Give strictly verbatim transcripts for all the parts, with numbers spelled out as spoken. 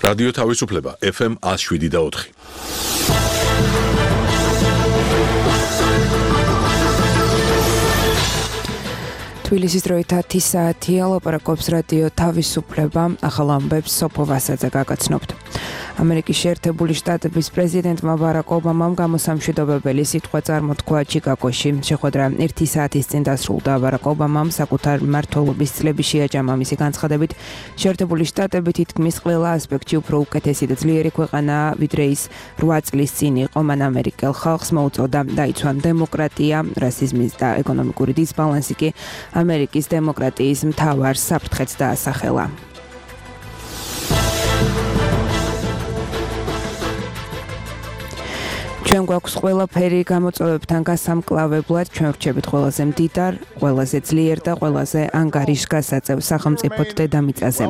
რადიო თავისუფლება ეფ ემ one oh seven და four. თბილისის დროით ათი საათია, ლაპარაკობს რადიო თავისუფლება, ახალ ამბებს სოფო ვასაძე გაგაცნობთ. ამერიკის შეერთებული შტატების პრეზიდენტმა ბარაკ ობამამ გამოსამშვიდობებელი სიტყვა წარმოთქვა ჩიკაგოში. შეხვედრა ერთი საათის წინ დასრულდა. ბარაკ ობამამ საკუთარ მმართველობის წლების შეაჯამა მისი განცხადებით, შეერთებული შტატები თითქმის ყველა ასპექტში უფრო უკეთესი და ძლიერი ქვეყანაა, ვიდრე ის რვა წლის წინ იყო. მან ამერიკელ ხალხს მოუწოდა დაიცვან დემოკრატია, რასიზმის და ეკონომიკური დისბალანსი კი ამერიკის დემოკრატიის მთავარ საფრთხეს დაასახელა. ჩვენ გვაქვს ყველაფერი გამოწვევებთან გასამკლავებლად, ჩვენ ვრჩებით ყველაზე მდიდარ, ყველაზე ძლიერ და ყველაზე ანგარიშგასაწევ სახელმწიფოდ დედამიწაზე.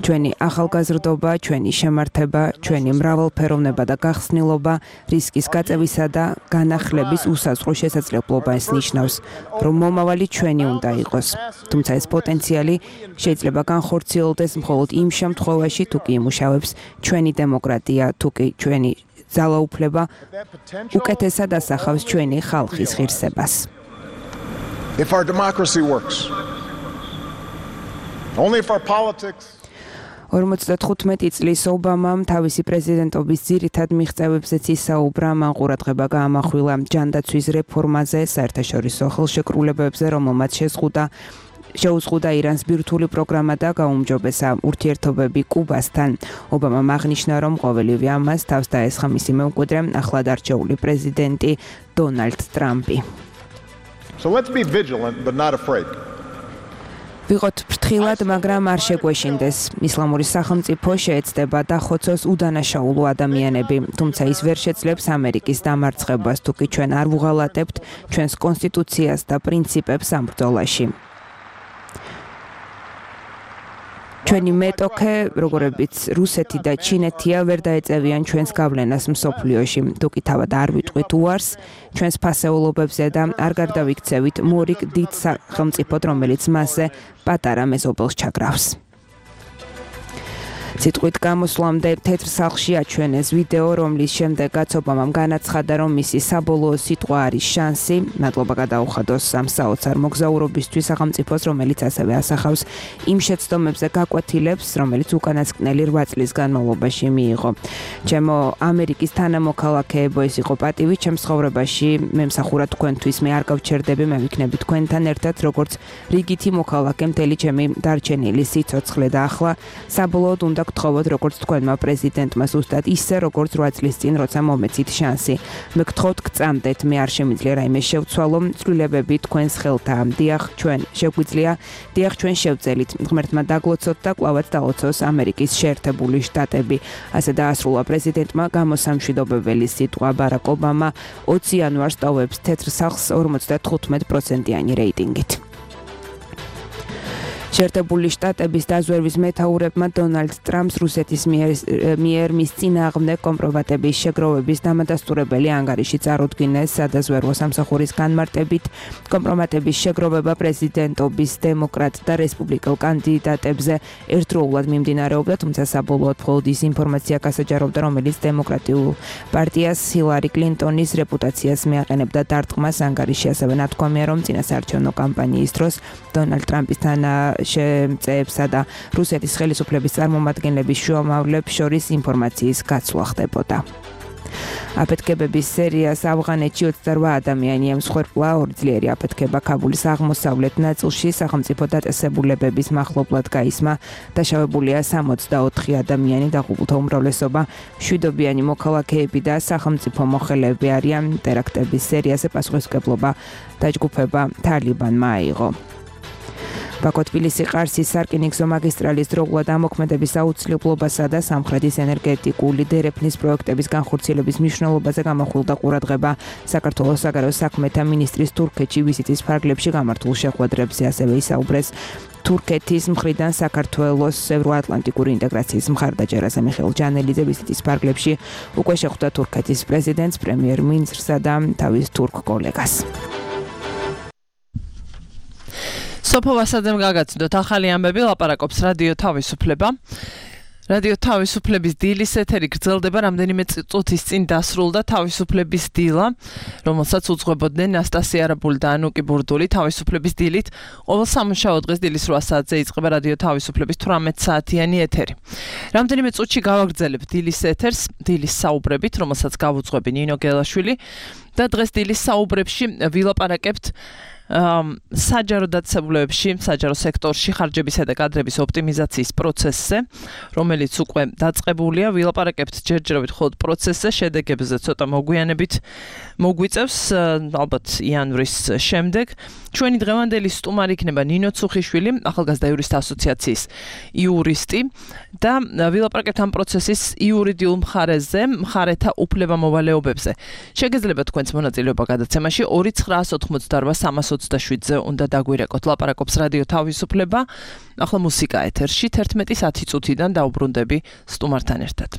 ჩვენი ახალგაზრდობა, ჩვენი შემართება, ჩვენი მრავალფეროვნება და გახსნილობა, რისკის გაწევისა და განახლების უსაზღვრო შესაძლებლობას ნიშნავს, რომ მომავალი ჩვენი უნდა იყოს. თუმცა ეს პოტენციალი შეიძლება განხორციელდეს მხოლოდ იმ შემთხვევაში, თუ კი იმუშავებს ჩვენი დემოკრატია, თუ კი ჩვენი ძალაუფლება უკეთესად ასახავს ჩვენი ხალხის ღირსებას. If our democracy works, only if our politics ორმოცდათხუთმეტი წლის ობამამ თავისი პრეზიდენტობის ძირითად მიღწევებზეც ისაუბრა, მან ყურადღება გაამახვილა ჯანდაცვის რეფორმაზე, საერთაშორისო ხელშეკრულებებზე, რომელმაც შეზღუდა შეუზღუდა ირანს ბირთვული პროგრამა და გაუმჯობესა ურთიერთობები კუბასთან. ობამამ აღნიშნა, რომ ყოველივე ამას თავს დაესხა მისი მემკვიდრე, ახლად არჩეული პრეზიდენტი დონალდ ტრამპი. So let's be vigilant but not afraid. ვიყოთ ფრთხილად, მაგრამ არ შეგვეშინდეს. ისლამური სახელმწიფო შეეცდება დახოცოს უდანაშაულო ადამიანები, თუმცა ის ვერ შეძლებს ამერიკის დამარცხებას, თუ კი ჩვენ არ ვუღალატებთ ჩვენს კონსტიტუციას და პრინციპებს ამ ბრძოლაში. ჩვენი მეტოქე, როგორებიც რუსეთი და ჩინეთია, ვერ დაეწევიან ჩვენს გავლენას მსოფლიოში. თუ კი თავად არ ვიტყვით უარს ჩვენს ფასეულობებზე და არ გარდავიქცევით მორიგ დიდ სახელმწიფოდ, რომელიც მასზე პატარა მეზობელს ჩაგრავს. სიტყვით გამოსვლამდე თეთრ სახლში აჩვენეს ვიდეო, რომლის შემდეგაც ობამამ განაცხადა, რომ მისი საბოლოო სიტყვა არის შანსი. მადლობა გადაუხადოს ამ საოცარ მოგზაურობისთვის სახელმწიფოს, რომელიც ასევე ასახავს იმ შეცდომებზე გაკვეთილებს, რომელიც უკანასკნელი რვა წლის განმავლობაში მიიღო. ჩემო ამერიკის თანამოქალაქეებო, ეს იყო პატივი ჩემს ცხოვრებაში, მე მსახურა თქვენთვის, მე არ გავჩერდები, მე ვიქნები თქვენთან ერთად, როგორც რიგითი მოქალაქე მთელი ჩემი დარჩენილი სიცოცხლე და ახლა საბოლოოდ უნდა გთხოვოთ, როგორც თქვენმა პრეზიდენტმა ზუსტად ისე, როგორც რვა წლის წინ, როცა მომეცით შანსი. მე გთხოვთ, გწამდეთ, მე არ შემიძლია რაიმე შევცვალო, ცვლილებები თქვენს ხელთაა. დიახ, ჩვენ შეგვიძლია, დიახ, ჩვენ შევწელით. ღმერთმა დაგლოცოთ და კვლავაც დალოცოს ამერიკის შეერთებული შტატები. ასე დაასრულა პრეზიდენტმა გამოსამშვიდობებელი სიტყვა. ბარაკ ობამა ოცი იანვარს ტოვებს თეთრ სახლს ორმოცდათხუთმეტ პროცენტიანი რეიტინგით. შეერთებული შტატების დაზვერვის მეთაურებმა დონალდ ტრამპს რუსეთის მიერ მის წინააღმდეგ კომპრომატების შეგროვების დამადასტურებელი ანგარიში წარუდგინეს სადაზვერვო სამსახურის განმარტებით. კომპრომატების შეგროვება პრეზიდენტობის დემოკრატ და რესპუბლიკელ კანდიდატებზე ერთდროულად მიმდინარეობდა, თუმცა საბოლოოდ მხოლოდ ის ინფორმაცია გასაჯაროვდა, რომელიც დემოკრატიულ პარტიას ჰილარი კლინტონის რეპუტაციას მიაყენებდა დარტყმას. ანგარიში ასევე ნათქვამია, რომ წინასაარჩევნო კამპანიის დროს დონალდ ტრამპის თანა შემწეებსა და რუსეთის ხელისუფლების წარმომადგენლების შუამავლებს შორის ინფორმაციის გაცვლა ხდებოდა. აფეთქებების სერიას ავღანეთში ოცდარვა ადამიანი ემსხვერპლა, ორი ძლიერი აფეთქება ქაბულის აღმოსავლეთ ნაწილში სახელმწიფო დაწესებულებების მახლობლად გაისმა. დაშავებულია სამოცდაოთხი ადამიანი, დაღუპულთა უმრავლესობა მშვიდობიანი მოქალაქეები და სახელმწიფო მოხელეები არიან. ტერაქტების სერიაზე პასუხისმგებლობა დაჯგუფება თალიბანმა აიღო. ბაქო-თბილისი-ყარსის სარკინიგზო მაგისტრალის დროულად ამოქმედების აუცილებლობასა და სამხრეთის ენერგეტიკული დერეფნის პროექტების განხორციელების მნიშვნელობაზე გამახვილდა ყურადღება საქართველოს საგარეო საქმეთა მინისტრის თურქეთში ვიზიტის ფარგლებში გამართულ შეხვედრებზე. ასევე ისაუბრეს თურქეთის მხრიდან საქართველოს ევროატლანტიკური ინტეგრაციის მხარდაჭერაზე. მიხეილ ჯანელიძე ვიზიტის ფარგლებში უკვე შეხვდა თურქეთის პრეზიდენტს, პრემიერ-მინისტრსა და თავის თურქ კოლეგას. სოფო ვასაძემ გაგაცნოთ ახალი ამბები, ლაპარაკობს რადიო თავისუფლება. რადიო თავისუფლების დილის ეთერი გრძელდება რამდენიმე წუთის წინ დასრულდა თავისუფლების დილა, რომელსაც უძღვებოდნენ ნასტასია არაბული და ანუკი ბურდული თავისუფლების დილით. ყოველ სამუშაო დღეს დილის რვა საათზე იწყება რადიო თავისუფლების თვრამეტ საათიანი ეთერი. რამდენიმე წუთში გავაგრძელებ დილის ეთერს, დილის საუბრებით, რომელსაც გავუძღვები ნინო გელაშვილი და დღეს დილის საუბრებში ვილაპარაკებთ საჯარო დაწესებულებებში, საჯარო სექტორში ხარჯებისა და კადრების ოპტიმიზაციის პროცესზე, რომელიც უკვე დაწყებულია, ვილაპარაკებთ ჯერჯერობით მხოლოდ პროცესზე, შედეგებზე ცოტა მოგვიანებით მოგვიწევს, ალბათ იანვრის შემდეგ. ჩვენი დღევანდელი სტუმარი იქნება ნინო ცუხიშვილი, ახალგაზრდა იურისტთა ასოციაციის იურისტი და ვილაპარაკებთ ამ პროცესის იურიდიულ მხარეზე, მხარეთა უფლებამოვალეობებზე. შეგეძლება თქვენს მონაწილეობა გადაცემაში ორი ცხრაას ოთხმოცდაორვა სამას ოცდაშვიდზე უნდა დაგვირეკოთ. ლაპარაკობს რადიო თავისუფლება. ახლა მუსიკა ეთერში თერთმეტის ათი წუთიდან დაუბრუნდები სტუმართან ერთად.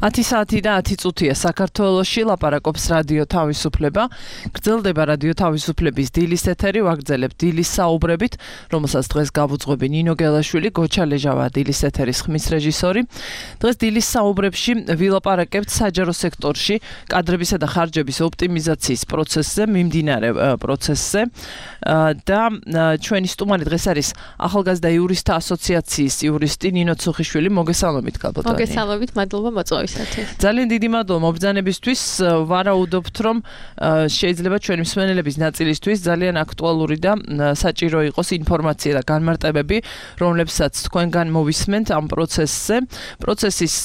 ათი საათი და ათი წუთია საქართველოში ლაპარაკობს რადიო თავისუფლება. გრძელდება რადიო თავისუფლების დილის ეთერი, ვაგრძელებთ დილის საუბრებით, რომელსაც დღეს გავუძღვები ნინო გელაშვილი, გოჩა ლეჟავა დილის ეთერის ხმის რეჟისორი. დღეს დილის საუბრებში ვილაპარაკებთ საჯარო სექტორში კადრებისა და ხარჯების ოპტიმიზაციის პროცესზე, მიმდინარე პროცესზე და ჩვენი სტუმარი დღეს არის ახალგაზრდა იურისტთა ასოციაციის იურისტი ნინო ცუხიშვილი. მოგესალმებით გალბატონი. მოგესალმებით, მადლობა მოწვევისათვის. ძალიან დიდი მადლობა მობრძანებისთვის. ვარაუდობთ, რომ შეიძლება ჩვენი მსმენელების ნაწილისთვის ძალიან აქტუალური და საჭირო იყოს ინფორმაცია და განმარტებები, რომლებსაც თქვენგან მოვისმენთ ამ პროცესზე. პროცესის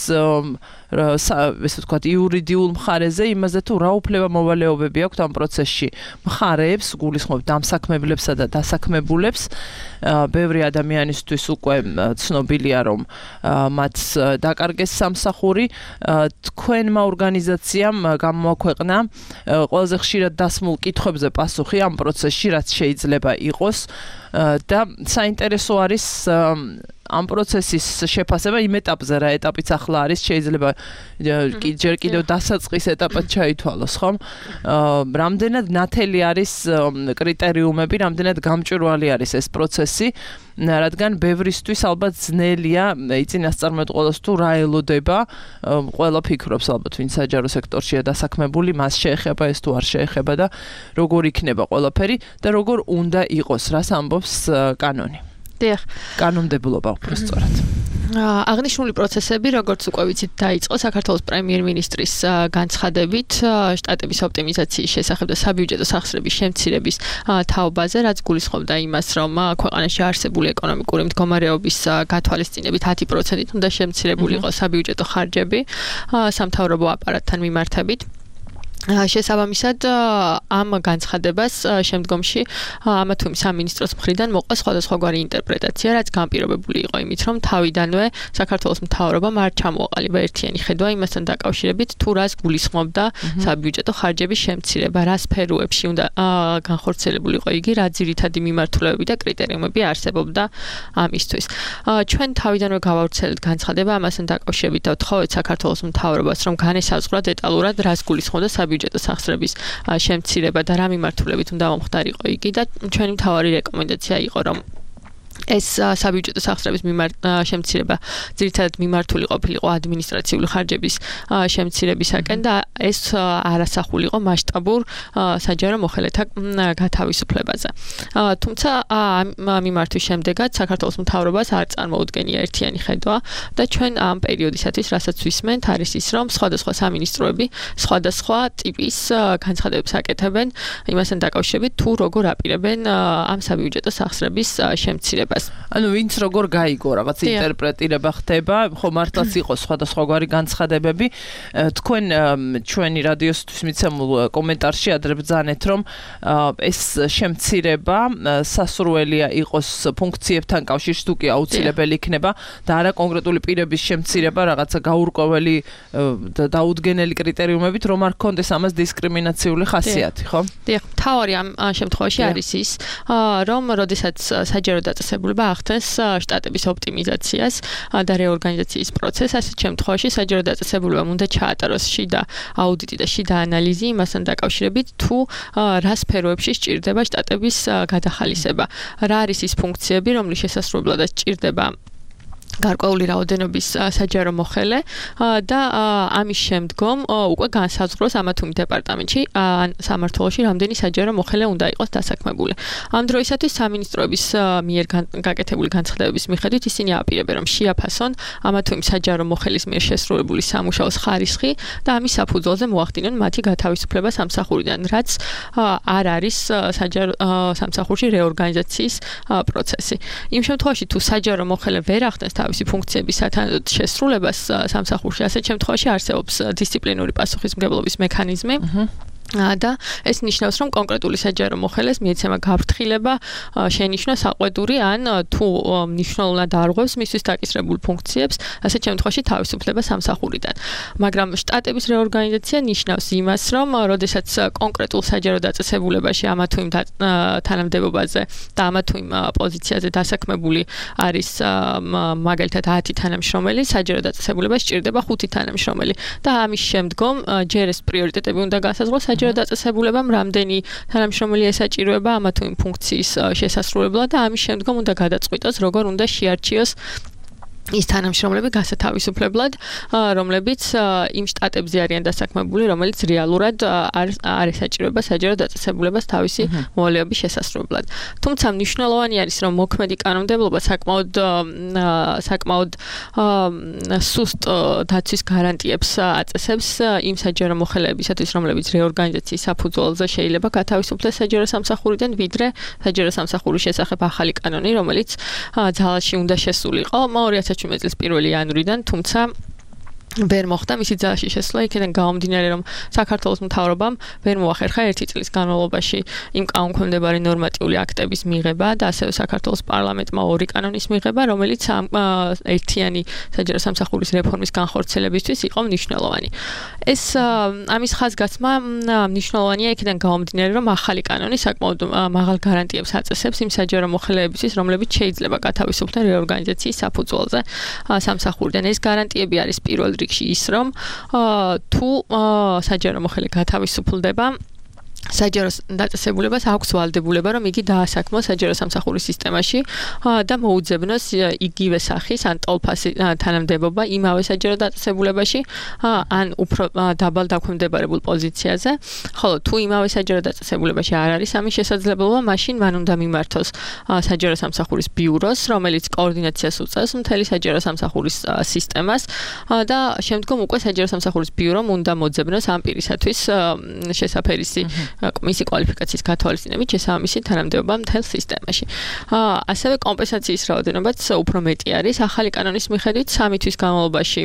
ესე ვთქვათ, იურიდიულ მხარეზე, იმაზე თუ რა უფლება მოვალეობები აქვთ ამ პროცესში მხარეებს, გულისხმობ დამსაქმებლებსა და დასაქმებულებს. ბევრი ადამიანისთვის უკვე ცნობილია, რომ მათ დაკარგეს სამსახური. თქვენმა ორგანიზაციამ გამოაქვეყნა ყველაზე ხშირად დასმულ კითხვებზე პასუხი ამ პროცესში, რაც შეიძლება იყოს და საინტერესო არის ამ პროცესის შეფასება იმ ეტაპზე, რა ეტაპიც ახლა არის, შეიძლება ჯერ კიდევ დასაწყის ეტაპად ჩაითვალოს, ხომ? რამდენად ნათელი არის კრიტერიუმები, რამდენად გამჭვირვალე არის ეს პროცესი, რადგან ბევრისთვის ალბათ ძნელია იწინასწარმეტყველოს თუ რა ელოდება, ყველა ფიქრობს ალბათ, ვინ საჯარო სექტორშია დასაქმებული, მას შეეხება ეს თუ არ შეეხება და როგორ იქნება ყველაფერი და როგორ უნდა იყოს, რას ამბობს კანონი. დიახ. კანონმდებლობა უფრო სწორად. აღნიშნული პროცესები, როგორც უკვე ვიცით, დაიწყო საქართველოს პრემიერ-მინისტრის განცხადებით შტატების ოპტიმიზაციის შესახებ და საბიუჯეტო სახსრების შემცირების თაობაზე, რაც გულისხმობდა იმას, რომ ქვეყანაში არსებული ეკონომიკური მდგომარეობის გათვალისწინებით ათი პროცენტით უნდა შემცირებული იყოს საბიუჯეტო ხარჯები სამთავრობო აპარატთან მიმართებით. შესაბამისად ამ განცხადებას შემდგომში ამა თუ იმ სამინისტროს მხრიდან მოყვა სხვადასხვაგვარი ინტერპრეტაცია, რაც განპირობებული იყო იმით, რომ თავიდანვე საქართველოს მთავრობამ არ ჩამოაყალიბა ერთიანი ხედვა იმასთან დაკავშირებით, თუ რას გულისხმობდა საბიუჯეტო ხარჯების შემცირება, რა სფეროებში უნდა განხორციელებული იყო იგი, რა ძირითადი მიმართულებები და კრიტერიუმები არსებობდა ამისთვის. ჩვენ თავიდანვე გავავრცელებთ განცხადება ამასთან დაკავშირებით და ვთხოვეთ საქართველოს მთავრობას, რომ განესაზღვრა დეტალურად რას გულისხმობდა საბიუჯეტო სახსრების შემცირება და რა მიმართულებით უნდა მომხდარიყო იგი და ჩვენი მთავარი რეკომენდაცია იყო, რომ ეს საბიუჯეტო სახსრების შემცირება ძირითადად მიმართული ყოფილიყო ადმინისტრაციული ხარჯების შემცირებისაკენ და ეს არასახულიყო მასშტაბურ საჯარო მოხელეთა გათავისუფლებაზე. თუმცა ამ მიმართვის შემდეგაც საქართველოს მთავრობას არ წარმოუდგენია ერთიანი ხედვა და ჩვენ ამ პერიოდისათვის, რასაც ვისმენთ, არის ის, რომ სხვადასხვა სამინისტროები სხვადასხვა ტიპის განცხადებებს აკეთებენ იმასთან დაკავშირებით, თუ როგორ აპირებენ ამ საბიუჯეტო სახსრების შემცირებას. ანუ ვინც როგორ გაიგო, რაღაც ინტერპრეტირება ხდება, ხო მართლაც იყო სხვადასხვაგვარი განცხადებები. თქვენ ჩვენი რადიოსთვის მიცემულ კომენტარში ადრებძანეთ, რომ ეს შემცირება სასურველია იყოს ფუნქციებთან კავშირში, თუ კი აუცილებელი იქნება და არა კონკრეტული პირების შემცირება, რაღაცა გაურკვეველი და დაუდგენელი კრიტერიუმებით, რომ არ ქონდეს ამას დისკრიმინაციული ხასიათი, ხო? დიახ, მთავარი ამ შემთხვევაში არის ის, რომ როდესაც საჯარო დაწესებულება ახდენს შტატების ოპტიმიზაციას და რეორგანიზაციის პროცესს, ასეთ შემთხვევაში საჯარო დაწესებულებამ უნდა ჩაატაროს შიდა აუდიტი და შიდა ანალიზი იმასთან დაკავშირებით, თუ რა სფეროებში სჭირდება შტატების გადახალისება. რა არის ის ფუნქციები, რომლის შესასრულებლადაც სჭირდება გარკვეული რაოდენობის საჯარო მოხელე და ამის შემდგომ უკვე განსაზღვროს ამა თუ იმ დეპარტამენტში ან სამმართველოში რამდენი საჯარო მოხელე უნდა იყოს დასაქმებული. ამ დროისათვის სამინისტროების მიერ გაკეთებული განცხადებების მიხედვით ისინი აპირებენ, რომ შეაფასონ ამა თუ იმ საჯარო მოხელის მიერ შესრულებული სამუშაოს ხარისხი და ამის საფუძველზე მოახდინონ მათი გათავისუფლება სამსახურიდან, რაც არ არის საჯარო სამსახურში რეორგანიზაციის პროცესი. იმ შემთხვევაში თუ საჯარო მოხელე ვერ ახდენს თავისი ფუნქციების შესრულებას სამსახურში, ასეთ შემთხვევაში არსებობს დისციპლინური პასუხისმგებლობის მექანიზმი. და ეს ნიშნავს, რომ კონკრეტული საჯარო მოხელეს მიეცემა გაფრთხილება, შენიშნა საყვედური ან თუ მნიშვნელოვნად არღვევს მისთვის დაკისრებულ ფუნქციებს, ასეთ შემთხვევაში თავისუფლება სამსახურიდან. მაგრამ შტატების რეორგანიზაცია ნიშნავს იმას, რომ როდესაც კონკრეტულ საჯარო დაწესებულებაში ამა თუ იმ თანამდებობაზე და ამა თუ იმ პოზიციაზე დასაქმებული არის მაგალითად ათი თანამშრომელი, საჯარო დაწესებულება სჭირდება ხუთი თანამშრომელი და ამის შემდგომ ჯერ ეს პრიორიტეტები უნდა გასაზღვროს საჯარო დაწესებულებამ, რამდენი თანამშრომელი ესაჭიროება ამა თუ იმ ფუნქციის შესასრულებლად და ამის შემდგომ უნდა გადაწყვიტოს, როგორ უნდა შეარჩიოს ის თანამშრომლები გასათავისუფლებლად, რომლებიც იმ შტატებზე არიან დასაქმებული, რომელიც რეალურად არ ესაჭიროება საჯარო დაწესებულებას თავისი მოვალეობის შესასრულებლად. თუმცა მნიშვნელოვანი არის, რომ მოქმედი კანონმდებლობა საკმაოდ საკმაოდ სუსტ დაცვის გარანტიებს აწესებს იმ საჯარო მოხელეებისათვის, რომლებიც რეორგანიზაციის საფუძველზე შეიძლება გათავისუფლდეს საჯარო სამსახურიდან, ვიდრე საჯარო სამსახურის შესახებ ახალი კანონი, რომელიც ძალაში უნდა შესულიყო ორი ათას შვიდმეტი წლის პირველი იანვრიდან, თუმცა ვერ მოხდა მისი ძალაში შესვლა, იქიდან გამომდინარე, რომ საქართველოს მთავრობამ ვერ მოახერხა ერთი წლის განმავლობაში იმ კანონქვემდებარე ნორმატიული აქტების მიღება და ასევე საქართველოს პარლამენტმა ორი კანონის მიღება, რომელიც ერთიანი საჯარო სამსახურის რეფორმის განხორციელებისთვის იყო მნიშვნელოვანი. ეს ამის ხაზგასმა მნიშვნელოვანია იქიდან გამომდინარე, რომ ახალი კანონი საკმაოდ მაღალ გარანტიებს აწესებს იმ საჯარო მოხელეებისთვის, რომლებიც შეიძლება გათავისუფლდნენ რეორგანიზაციის საფუძველზე სამსახურიდან. ეს გარანტიები არის პირველ რიგში ის, რომ თუ საჯარო მოხელე გათავისუფლდება, საჯარო დაწესებულებას აქვს ვალდებულება, რომ იგი დაასაქმოს საჯარო სამსახურის სისტემაში და მოუძებნოს იგივე სახის ან ტოლფასი თანამდებობა იმავე საჯარო დაწესებულებაში ან უფრო დაბალ დაქვემდებარებულ პოზიციაზე, ხოლო თუ იმავე საჯარო დაწესებულებაში არ არის ამის შესაძლებლობა, მაშინ მან უნდა მიმართოს საჯარო სამსახურის ბიუროს, რომელიც კოორდინაციას უწევს მთელი საჯარო სამსახურის სისტემას და შემდგომ უკვე საჯარო სამსახურის ბიურომ უნდა მოძებნოს ამ პირისათვის შესაფერისი მისი კვალიფიკაციის გათვალისწინებით შესაბამისი თანამდებობა მთელ სისტემაში. ასევე კომპენსაციის რაოდენობაც უფრო მეტი არის ახალი კანონის მიხედვით სამი თვის განმავლობაში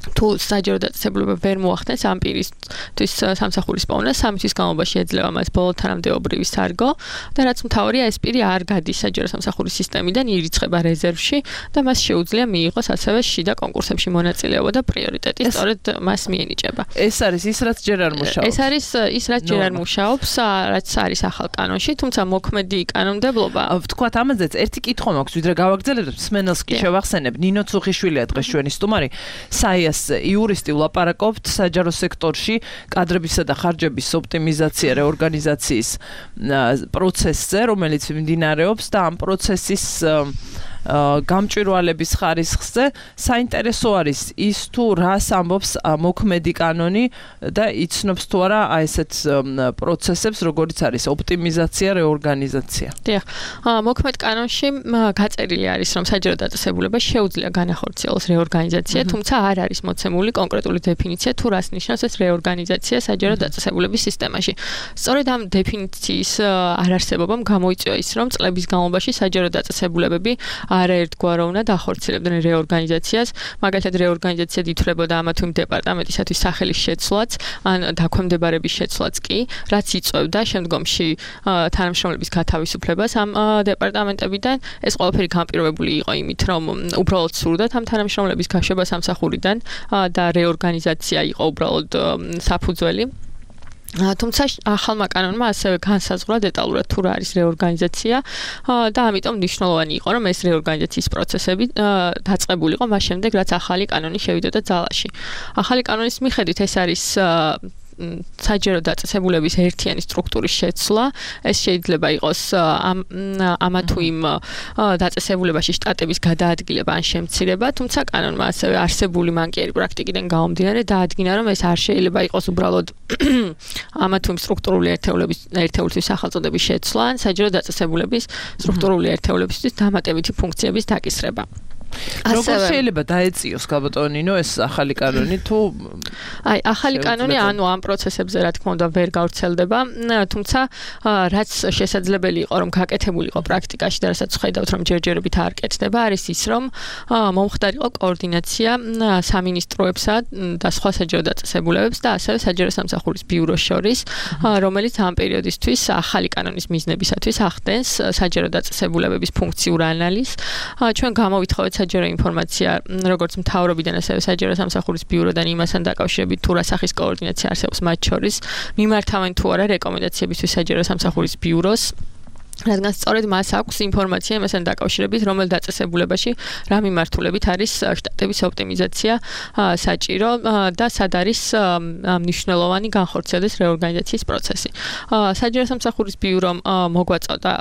თუ საჯარო დაწესებულება ვერ მოახდენს ამ პირისთვის სამსახურის პოვნა, სამი თვის განმავლობაში ეძლევა მას ბოლო თანამდებობრივი სარგო და რაც მთავარია, ეს პირი არ გადის საჯარო სამსახურის სისტემიდან, ირიცხება რეზერვში და მას შეუძლია მიიღოს ასევე შიდა კონკურსებში მონაწილეობა და პრიორიტეტი სწორედ მას მიენიჭება. ეს არის ის, რაც ჯერ არ მუშაობს. ეს არის ის, რაც ჯერ არ მუშაობს, რაც არის ახალ კანონში, თუმცა მოქმედი კანონმდებლობა. ვთქვათ, ამაზეც ერთი კითხვა მაქვს, ვიდრე გავაგრძელებთ, სმენელს კი შევახსენებ. ნინო ცუხიშვილია დღეს ჩვენი სტუმარი. საიას იურისტი ვლაპარაკობთ საჯარო სექტორში კადრებისა და ხარჯების ოპტიმიზაცია რეორგანიზაციის პროცესზე, რომელიც მიმდინარეობს და ამ პროცესის გამჭვირვალების ხარისხზე საინტერესო არის ის თუ რას ამბობს მოქმედი კანონი და იცნობს თუ არა აი ესეთ პროცესებს, როგორც არის ოპტიმიზაცია, რეორგანიზაცია. დიახ. მოქმედ კანონში გაწერილი არის, რომ საჯარო დაწესებულება შეუძლია განახორციელოს რეორგანიზაცია, თუმცა არ არის მოცემული კონკრეტული დეფინიცია თუ რას ნიშნავს ეს რეორგანიზაცია საჯარო დაწესებულების სისტემაში. სწორედ ამ დეფინიციის არარსებობამ გამოიწვია ის, რომ წლების განმავლობაში საჯარო დაწესებულებები არაერთგვარო უნდა ახორციელებდნენ რეორგანიზაციას, მაგალითად რეორგანიზაციად ითვლებოდა ამა თუ იმ დეპარტამენტისათვის სახელის შეცვლაც, ან დაქვემდებარების შეცვლაც კი, რაც იწვევდა შემდგომში თანამშრომლების გათავისუფლებას ამ დეპარტამენტებიდან. ეს ყველაფერი განპირობებული იყო იმით, რომ უბრალოდ სურდათ ამ თანამშრომლების გაშვება სამსახურიდან და რეორგანიზაცია იყო უბრალოდ საფუძველი. თუმცა ახალმა კანონმა ასევე განსაზღვრა დეტალურად თუ რა არის რეორგანიზაცია და ამიტომ მნიშვნელოვანი იყო, რომ ეს რეორგანიზაციის პროცესები დაწყებულიყო მას შემდეგ, რაც ახალი კანონი შევიდოდა ძალაში. ახალი კანონის მიხედვით ეს არის საჯარო დაწესებულების ერთიანი სტრუქტურის შეცვლა. ეს შეიძლება იყოს ამა თუ იმ დაწესებულებაში შტატების გადაადგილება ან შემცირება, თუმცა კანონმა ასევე არსებული მანკიერი პრაქტიკიდან გამომდინარე დაადგინა, რომ ეს არ შეიძლება იყოს უბრალოდ ამა თუ იმ სტრუქტურული ერთეულების ერთეულების სახელწოდების შეცვლა ან საჯარო დაწესებულების სტრუქტურული ერთეულებისთვის დამატებითი ფუნქციების დაკისრება. როგორ შეიძლება დაეწიოს გაბატონინო ეს ახალი კანონი თუ აი ახალი კანონი ანუ ამ პროცესებზე რა თქმა უნდა ვერ გავრცელდება, თუმცა რაც შესაძლებელი იყო რომ გაკეთებულიყო პრაქტიკაში და რასაც ხედავთ რომ ჯერჯერობით არ კეთდება, არის ის რომ მომხდარიყო კოორდინაცია სამინისტროებსა და სხვა საჯარო დაწესებულებებს და ასევე საჯარო სამსახურის ბიუროს შორის, რომელიც ამ პერიოდისთვის ახალი კანონის მიზნებისათვის ახდენს საჯარო დაწესებულებების ფუნქციურ ანალიზს. ჩვენ გამოვითხოვეთ საჯარო ინფორმაცია როგორც მთავრობიდან ასევე საჯარო სამსახურის ბიუროდან იმასთან დაკავშირებით თუ რა სახის კოორდინაცია არსებობს მათ შორის, მიმართავენ თუ არა რეკომენდაციებისთვის საჯარო სამსახურის ბიუროს, რადგან სწორედ მას აქვს ინფორმაცია იმასთან დაკავშირებით, რომელ დაწესებულებაში რა მიმართულებით არის შტატების ოპტიმიზაცია საჭირო და სად არის მნიშვნელოვანი განხორციელდეს რეორგანიზაციის პროცესი. საჯარო სამსახურის ბიურომ მოგვაწოდა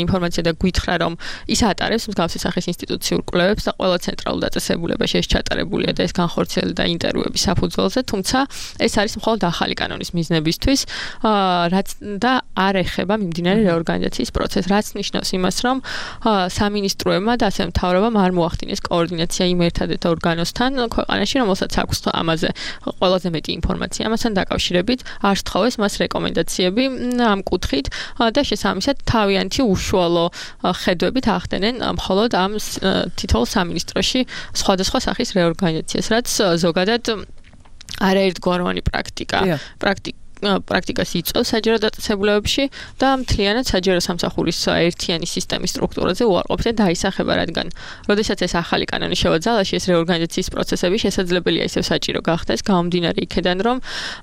ინფორმაცია და გვითხრა, რომ ის ატარებს მსგავსი სახის ინსტიტუციურ კვლევებს და ყველა ცენტრალურ დაწესებულებაში ეს ჩატარებულია და ეს განხორციელდა ინტერვიუების საფუძველზე, თუმცა ეს არის მხოლოდ ახალი კანონის მიზნებისთვის, რაც და არ ეხება მიმდინარე რეორგანიზაციის პროცესს. რაც ნიშნავს იმას, რომ სამინისტროებმა და ასევე მთავრობამ არ მოახდინეს კოორდინაცია იმ ერთადერთ ორგანოსთან ქვეყანაში, რომელსაც აქვს ამაზე ყველაზე მეტი ინფორმაცია. ამასთან დაკავშირებით არ სთხოვეს მას რეკომენდაციები ამ კუთხით და შესაბამისად თავიანთი უშუალო ხედვებით ახდენენ მხოლოდ ამ თითოეულ სამინისტროში სხვადასხვა სახის რეორგანიზაციას, რაც ზოგადად არაერთგვაროვანი პრაქტიკა პრაქტიკა პრაქტიკას იწვევს საჯარო დაწესებულებებში და მთლიანად საჯარო სამსახურის ერთიანი სისტემის სტრუქტურაზე უარყოფით დაისახება, რადგან როდესაც ეს ახალი კანონი შევაძალაში, ეს რეორგანიზაციის პროცესები შესაძლებელია ისევ საჭირო გახდეს, გამომდინარე იქედან, რომ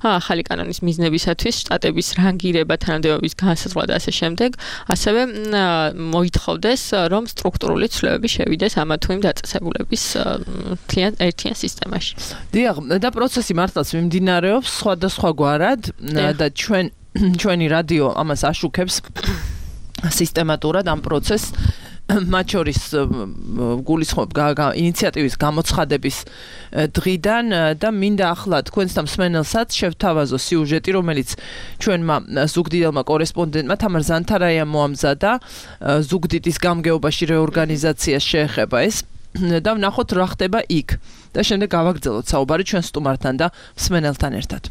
ახალი კანონის მიზნებისათვის შტატების რანგირება, თანამდებობის განსაზღვრა და ასე შემდეგ, ასევე მოითხოვდეს, რომ სტრუქტურული ცვლილებები შევიდეს ამა თუ იმ დაწესებულების მთლიან ერთიან სისტემაში. დიახ, და პროცესი მართლაც მიმდინარეობს სხვადასხვაგვარად და ჩვენ ჩვენი რადიო ამას აშუქებს სისტემატურად ამ პროცესს, მათ შორის გულისხმობ ინიციატივის გამოცხადების დღიდან და მინდა ახლა თქვენს და მსმენელსაც შევთავაზო სიუჟეტი, რომელიც ჩვენმა ზუგდიდელმა კორესპონდენტმა თამარ ზანთარაიამ მოამზადა ზუგდიდის გამგეობაში რეორგანიზაციას შეეხება ეს და ვნახოთ რა ხდება იქ და შემდეგ გავაგრძელოთ საუბარი ჩვენ სტუმართან და მსმენელთან ერთად.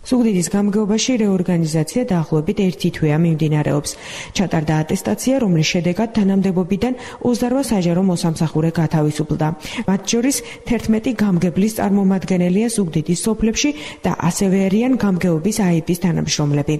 ზუგდიდის გამგეობაში რეორგანიზაცია დაახლოებით ერთი თვეა მიმდინარეობს. ჩატარდა ატესტაცია, რომლის შედეგად თანამდებობიდან ოცდაოთხ საჯარო მოსამსახურე გათავისუფლდა. მათ შორის თერთმეტი გამგებლის წარმომადგენელია ზუგდიდის სოფლებში და ასევე არიან გამგეობის აიბის თანამშრომლები.